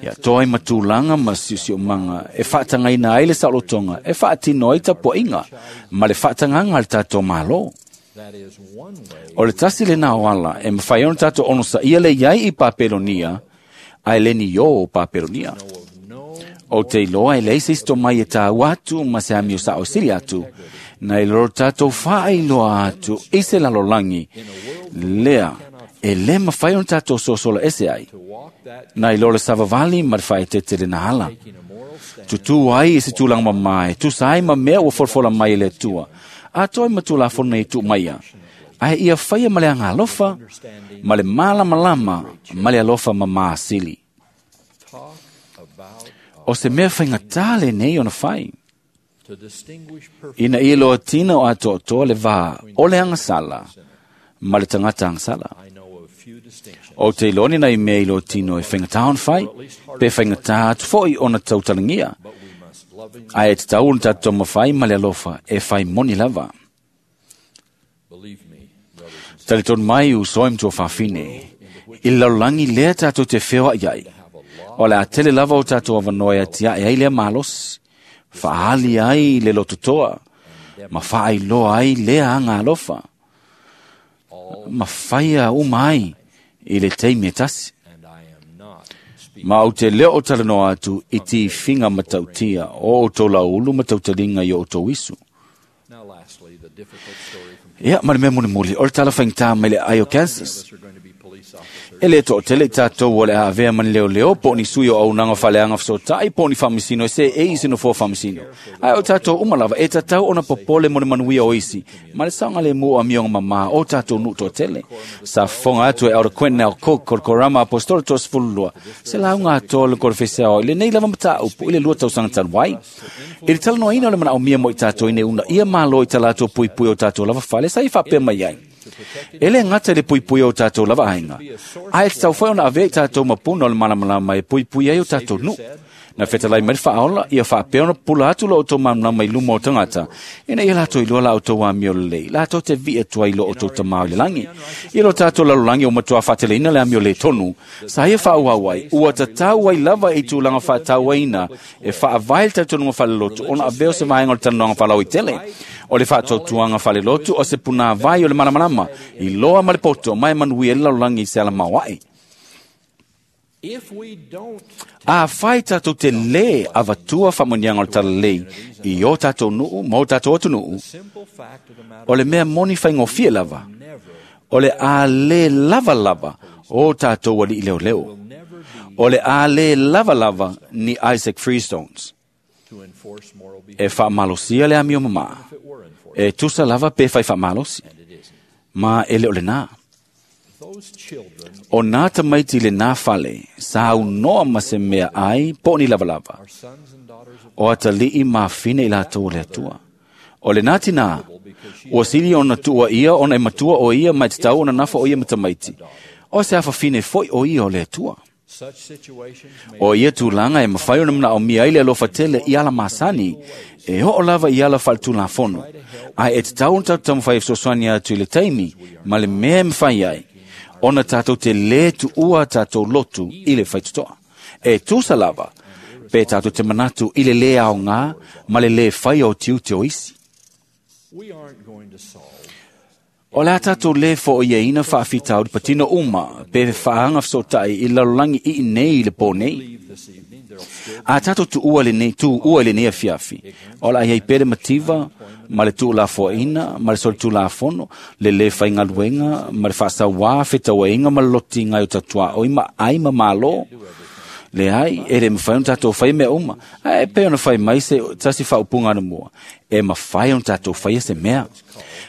ia toi matūlanga ma siusio manga, e whaatangaina ai le saolotonga, e whaatino ai tapuainga, ma le whaatanganga le tātou malo. O le tasi le nā o ala, e mawhai ona tātou ono sa ia le iai i Papelonia, ai le ni o Papelonia. O te iloa e leise isto mai e tāu atu, ma se amio sa o sili atu, na i loro tātou whaailoa atu, i se lalolangi, lea, e le mawhai ona tātou sosola ese ai. Na i loro savavali ma te whae te te rena ala. Tutu ai i se tūlanga mamae, tu sai ma mea ua folfola mai e le tua, a toi ma tū la fono i tū maia. Ai ia whaia ma le anga alofa, ma le malamalama, ma le alofa ma maasili. O se mea whainga tāle nei ona whai. Ina i loa tina o atoa le vā o le angasala, ma le tangata angasala. O te iloni nei mea i loa tino e whainga tā ona whai, pe whainga tā atu foi ona tautalangia. Ai e te tau ona tātou mawhai ma le alofa e whai moni lava. Tale tonu mai u soe mtua whawhine, i lalulangi lea tātou te whewa iai. O le a tele lava o tātou avanoa e atiae ai lea malosi, faali ai le lototoa, ma faailoa ai lea aga alofa, ma faia uma ai i le taimi e tasi. Ma ou te leo o talanoa atu i tifiga matautia o outou laulu ma tautaliga i o outou isu. Ia, ma le mea mulimuli, o le tala faigata mai le ai o Kansas. E le to'atele i tatou o le a avea ma ni leoleo po o ni sui o auaunaga faaleaga fesoatai po o ni faamasino e seei i se nofoa faamasino. Ae o tatou uma lava e tatau ona popole mo le manuia o isi ma le saogalemu o amioga mamā o tatou nuu toatele. Sa fofoga atu e Elder Quentin L. Cook o le Korama Apostolo toasefululua se lauga atoa le kolofesiao i lenei lava mataupu i le lua tausaga talu ai. I le talanoaina o le manaomia mo i tatou ina uunaia Malo i ta latou puipui o tatou lava fale sa i faapea mai ai. E le gata i le puipui o tatou lava aiga, ae tatau foi ona avea i tatou mapuna o le malamalama e puipui ai o tatou nuu. Na fetalai mai le faaola, ia faapea ona pupula atu lo outou malamalama i luma o tagata, ina ia latou iloa la outou amio lelei, latou te vi'i atu ai i lo outou Tamā i le lagi. I lo tatou lalolagi ua matuā faateleina le amio lē tonu, sa ia faaauau ai, ua tatau ai lava i tulaga faatauaina e faavae le talitonuga faalelotu ona avea o se vaega o le talanoaga faalauaitele. O le faatautuaga faalelotu o se punāvai o le malamalama, i loa ma le poto, ma e manuia ai le lalolagi i se ala maoaʻe. A fai tatou te lē avatua faamanuiaga o le talalelei i o tatou nuu ma o tatou atunuu, o le mea moni faigofie lava, o le a lē lava lava o tatou alii leoleo. O le a lē lava lava ni Isaac Freestones. E faamalosia le amio mamā, e tusa lava pe fai faamalosi, ma e le o lenā. O nā tamaiti i lenā fale, sa aunoa ma se mea ai po o ni lavalava. O atalii ma afine i latou o le Atua. O lenā tinā, ua sili ona tuua ia ona e matua o ia ma e tatau ona nafa o ia ma tamaiti. O se afafine foi o ia o le Atua. O ia tulaga e mafai ona manaomia ai le alofa tele i ala masani, e oo lava i ala faaletulafono, ae e tatau ona tatou taumafai e fesoasoani atu i le taimi ma le mea e mafai ai, ona tatou te lē tuua tatou lotu i le faitotoa. E tusa lava, pe tatou te manatu i le lē aogā ma le lē faia o tiute o isi. O le a tatou lē fo'oiaina faafitauli patino uma pe faaga feso'ota'i i le lalolagi ii nei i le pō nei. A tatou tuua lenei tuua i lenei afiafi, o le a iai pea le mativa ma le tuulafoaina ma le solitulafono, le lē faigaluega ma le faasauā fetauaiga ma le lotiga ai o tatuaʻoi ma ai ma mālō. Leai, e le mafai ona tatou faia mea uma, ae pei ona fai mai se tasi faaupuga anamua, e mafai ona tatou faia se mea.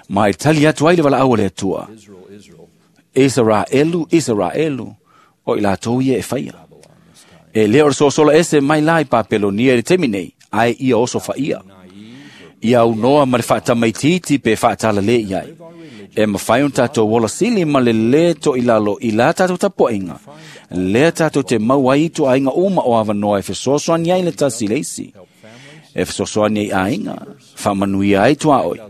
Ma e tali atu ai le valaau a le Atua, Isaraelu, Isaraelu, o i latou ia e faia. E le o le sosola ese mai la i Papelonia i le taimi nei, ae ia oso faia. Ia aunoa ma le faatamaitiiti pe faatalale i ai. E mafai ona tatou ola sili ma le lē toʻilalo i la tatou tapuaʻiga, lea tatou te mau ai i tuaaiga uma o avanoa e fesoasoani ai le tasi i le isi. E fesoasoani ai aiga, faamanuia ai tuaoi,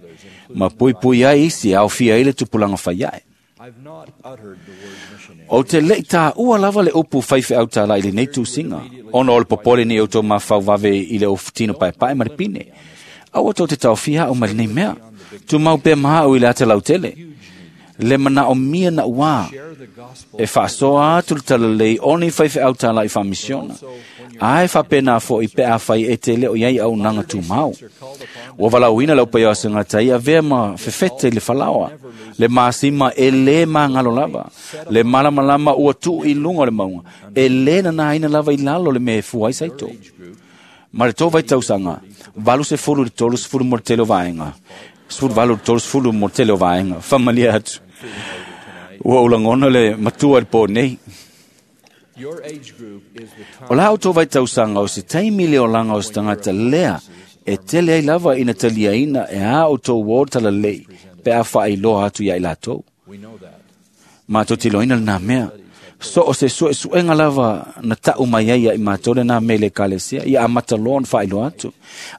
ma puipui ai isi e aofia ai le tupulaga faiaʻe. Ou te leʻi tāua lava le upu faifeau tālā i lenei tusiga, ona o le popole nei outou mafau vave i le ofutino paepae ma le pine. Aua tou te taofia au mai lenei mea. Tumau pea ma au i le ata lautele. Le manaomia naʻuā e faasoa atu le talalelei o ni faifeau tālā i faamisiona, ae faapena foʻi pe afai e te le o i ai auaunaga tumau. Ua valaauina le aupaia o asegata i avea ma fefete i le falaoa, le masima e lē magalo lava, le malamalama ua tuu i luga o le mauga, e lē nanaina lava i lalo le mea e fua ai saito. Ma le tou vaitausaga, valu sefulu i le tolu sefulu mo le tele o vaega, sefulu valu i le tolu sefulu mo le tele o vaega, faamalie atu. Ua ou lagona le matua i le pō nei. O la outou vaitausaga o se taimi le olaga o se tagata lea e tele ai lava ina taliaina e a outou uō talalelei pe a faailoa atu iā i latou. Matou te iloaina lenā mea. So o se suesuega lava na taʻu mai ai ia i matou lenā mea i le ekalesia, ia amata loa ona faailoa atu.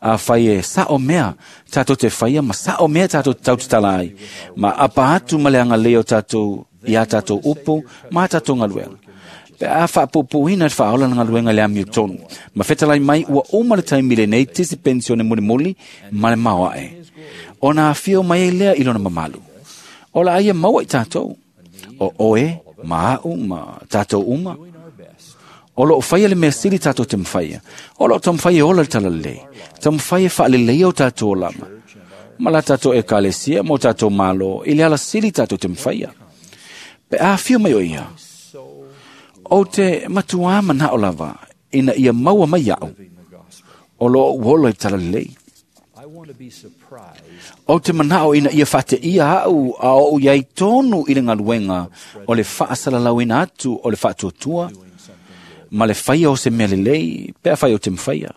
Afai e saʻo mea tatou te faia ma saʻo mea tatou te tautatala ai, ma apa atu ma le agalelei o tatou i a tatou upu ma a tatou galuega. Pe a faapuupuuina le faaola na galuega i le amiotonu. Ma fetalai mai ua uma le taimi lenei tisi penisione mulimuli ma le maoae. Ona afio mai ai lea i lona mamalu. O la aia maua i tatou. O oe, ma a'u, ma tatou uma. O loo faia le mea sili tatou te mafaia. O loo taumafai e ola le talalelei. Taumafai e faaleleia o tatou olaga. Ma la tatou ekalesia ma o tatou malo i le alasili tatou te mafaia. Pe a afio mai o ia. O te matuā manao lava ina ia maua mai au. O loo uola i talalelei. O te manao ina ia faateia au a o iai tonu i le galuega o le faasalalauina atu o le faatuatua ma le faia o se mea lelei pe afai o te mafaia.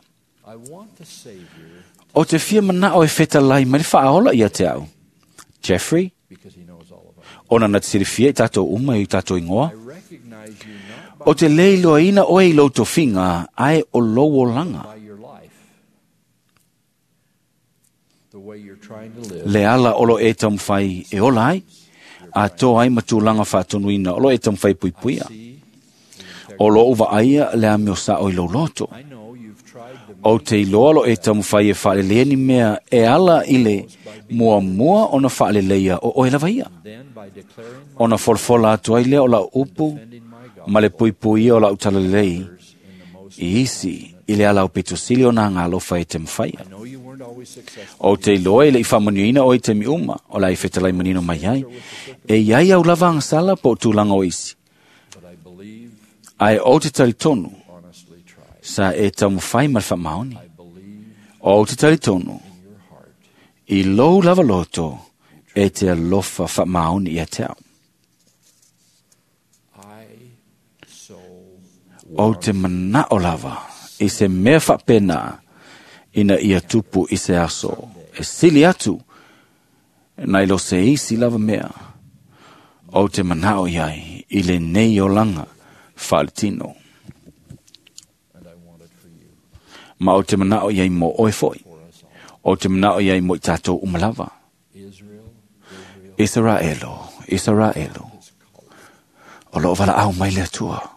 O te fia manao e fetalai mai le faaola ia te au. Jeffrey, ona na te silifia i tatou uma i tatou ingoa. O te le iloaina oe i lou tofiga ae o lou olaga. Le ala o lo e taumafai e ola ai, a toa ai ma tulaga faatonuina o lo e taumafai puipuia. O lou vaaia le amio sao i lou loto. O te iloa lo e taumafai e faaleleia ni mea e ala i le muamua ona faaleleia o oe lava ia. Ona folafola atu ai lea o lau upu ma le puipuia o lau talalelei i isi i le ala o pitosili o nā ngālofa e te mafaia. O te iloa e le i faamanuiaina oe i taimi uma o la e fetalai manino mai ai. E iai au lava agasala po o tulaga o isi. Ae o te talitonu sa e taumafai ma le faamaoni. O te talitonu i lou lava loto e te alofa faamaoni ia te au. O te manao lava i se mea faapena ina ia tupu i se aso. E sili atu nai lo se isi lava mea. O te manao iai i lenei olaga faaletino. Ma o te manao iai mo oe foi. O te manao iai mo i tatou uma lava. Israelo, Israelo. O loo valaau mai le Atua.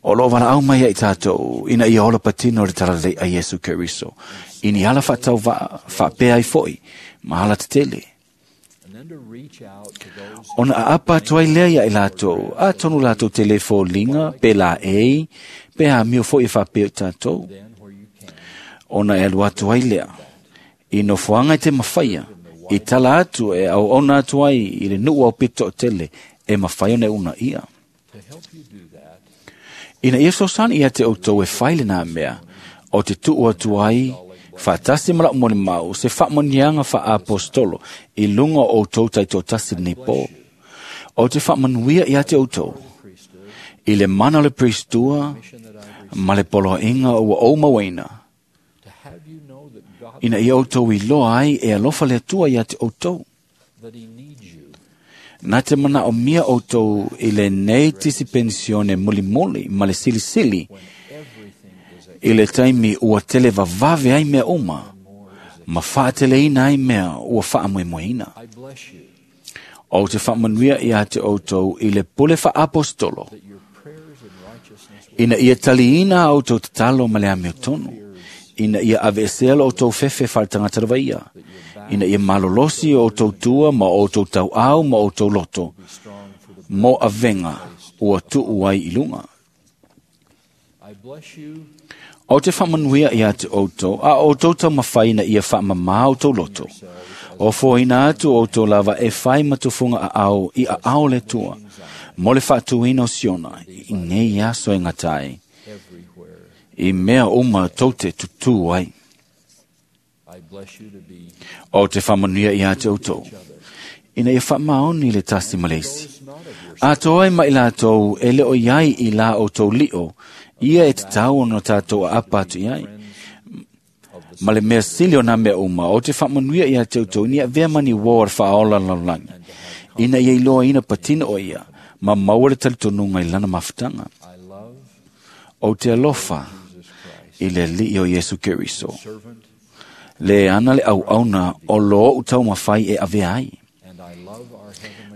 O loo valaau mai ai tatou ina ia ola patino le talalelei a Iesu Keriso. I ni ala faatauvaa faapea ai foi ma ala tetele. Ona aapa atu ai lea ia i latou, atonu latou te le foliga, pe laei, pe amio foi e faapea i tatou. Ona e alu atu ai lea, i nofoaga e te mafaia, i tala atu e auauna atu ai i le nuu au pito o tele, e mafai ona e unaia. Ina ia fesoasoani ia te outou e fai lenā mea, o te tuu atu ai, faatasi ma lau molimau, se faamanuiaga faaapostolo i luga o outou taitoatasi lenei po. O te faamanuia ia te outou, i le mana o le Pristua ma le poloaiga ua ou mauaina, ina ia outou iloa ai e alofa le Atua ia te outou. Na te manaomia outou i lenei tisi penisione mulimuli ma le silisili i le taimi ua tele vavave ai mea uma, ma faateleina ai mea ua faamoemoeina. O te faamanuia ia te outou i le pule faapostolo, ina ia taliina a outou tatalo ma le amiotonu, ina ia aveesea lo outou fefe faaletagata lava ia, ina ia malolosi o outou tua ma outou tauau ma outou loto, mo avega ua tuu ai i luga. O te faamanuia ia te outou, a outou taumafai ina ia faamamā outou loto. O foaina atu outou lava e fai matufuga aao i aao le Atua, mo le faatuina o Siona i nei aso e gata ai, i mea uma tou te tutū ai. O te faamanuia ia te outou, ina ia faamaoni le tasi ma le isi. Atoa ai ma i latou e le o iai i la outou lio, ia e tatau ona tatou aapa atu iai. Ma le mea sili o nā mea uma, o te faamanuia ia te outou, ina ia avea ma ni uō o le faaola lalolagi, ina ia iloaina patino o ia, ma maua le talitonuga i lana mafutaga. O te alofa i le Alii o Iesu Keriso, le ana le auauna o loo taumafai e avea ai.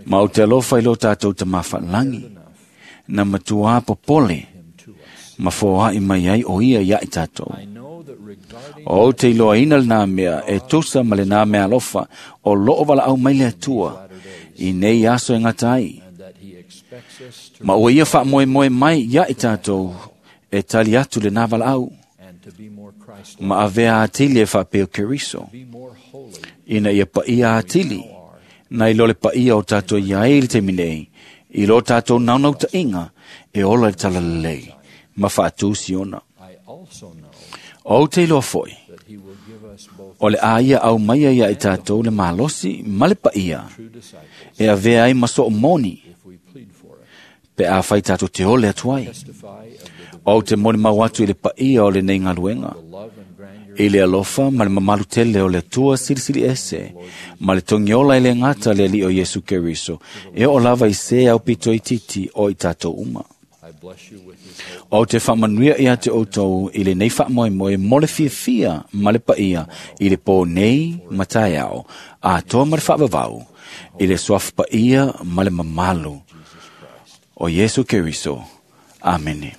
Ma o te alofa i lo tatou tamāfaalagi, Na matua popole ma foai mai ai o ia ia i tātou. O te iloa ina le nā mea e tusa ma le nā mea alofa o loo wala au mai le atua i nei aso e ngata ai. Ma ua ia wha moe moe mai ia i tātou e tali atu le nā wala au. Ma avea atili e whapeo Keriso. Ina ia paia atili. Na i lole paia o tātou ia e le te minei. I lo tātou naunau ta inga e ola le talalelei. Ma whaatu siona. O te iloa foi. O le aia au maia ia i tātou le malosi ma le paia. E avea ai maso o moni. Pe a whai tātou te ole atu ai. O te moni mau atu i le paia o le nei ngaluenga. I le alofa ma le mamalu tele o le Atua silisili ese. Ma le tongiola i le ngata le ali o Yesu Keriso. E o lava i se au pito i titi o i tātou uma. O te whaamanuia ia te outou i le nei whaamoemoe mo le fiafia ma le paia i le pō nei matai ao, a toa ma le whaavavau, i le suafa paia ma le mamalu o Yesu Keriso. Amene.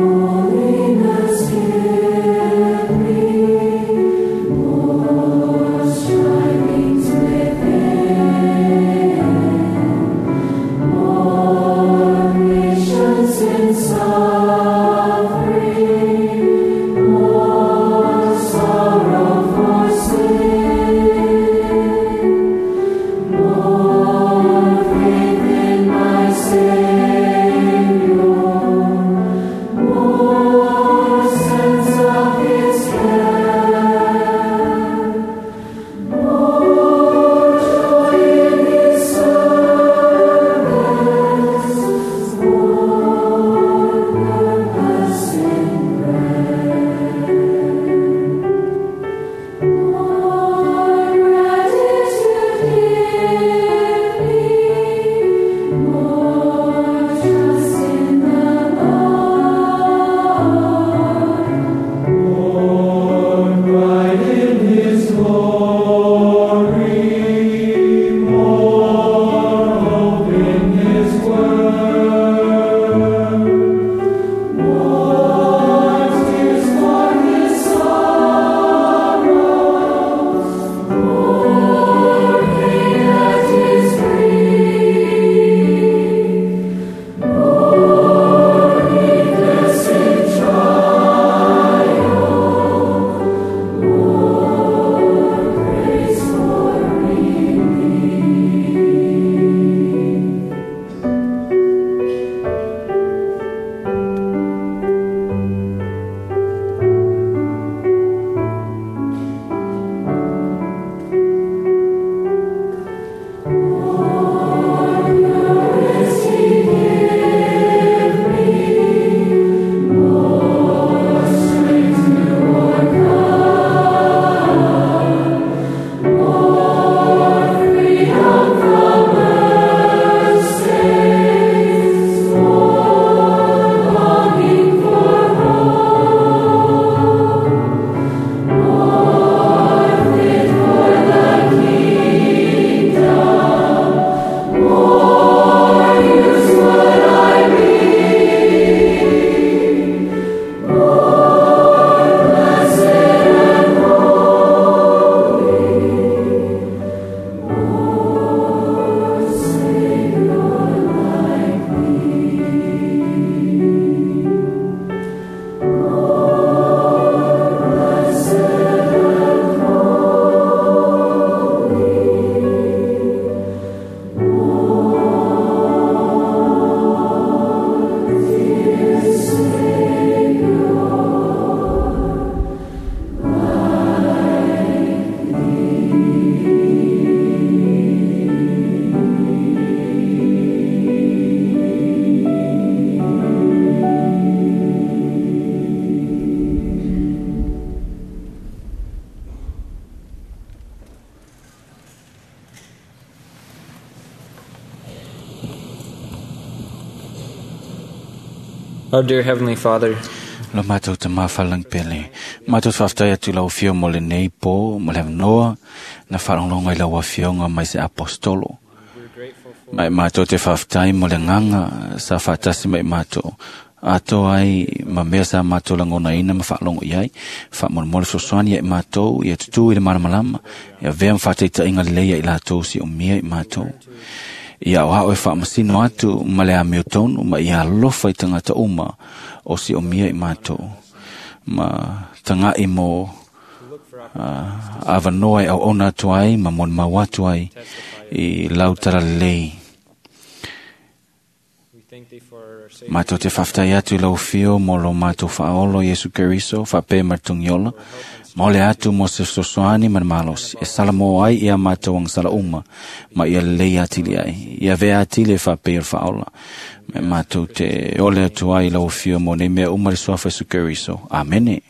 Holiness, give me more shining. Our dear Heavenly Father, Lo mātou te māwhalang pele. Mātou te whaftai atu lau whio mo le nei pō, mo le noa, na wharongonga i lau whionga mai se apostolo. Mai mātou te whaftai mo le nganga sa whatasi mai mātou. Ato ai ma mea sa mātou langona ina ma whaalongo i ai. Wha mo le fesoasoani ia i mātou, ia tutu i le malamalama, ia vea mwhataita inga leia i lātou si o mia i mātou. Ia o hao e whaamasino atu ma le amio tonu ma ia alofa i tangata uma o si o mia i mātou. Ma tanga i mo uh, awanoa e au ona atu ai ma mon mau atu ai i lau tara lei. we thank Thee for our Savior, Mātou te whaftai atu i lau whio mo lo mātou whaolo Yesu Keriso, whape martungiola, ma ole atu mo se sosoani ma malosi, e sala mo ai ia mātou ang sala uma, ma ia lei atili ai, ia vea atili e whape i whaola. Me mātou te ole atu ai i lau whio mo nei mea uma le suafa Yesu Keriso. Amene.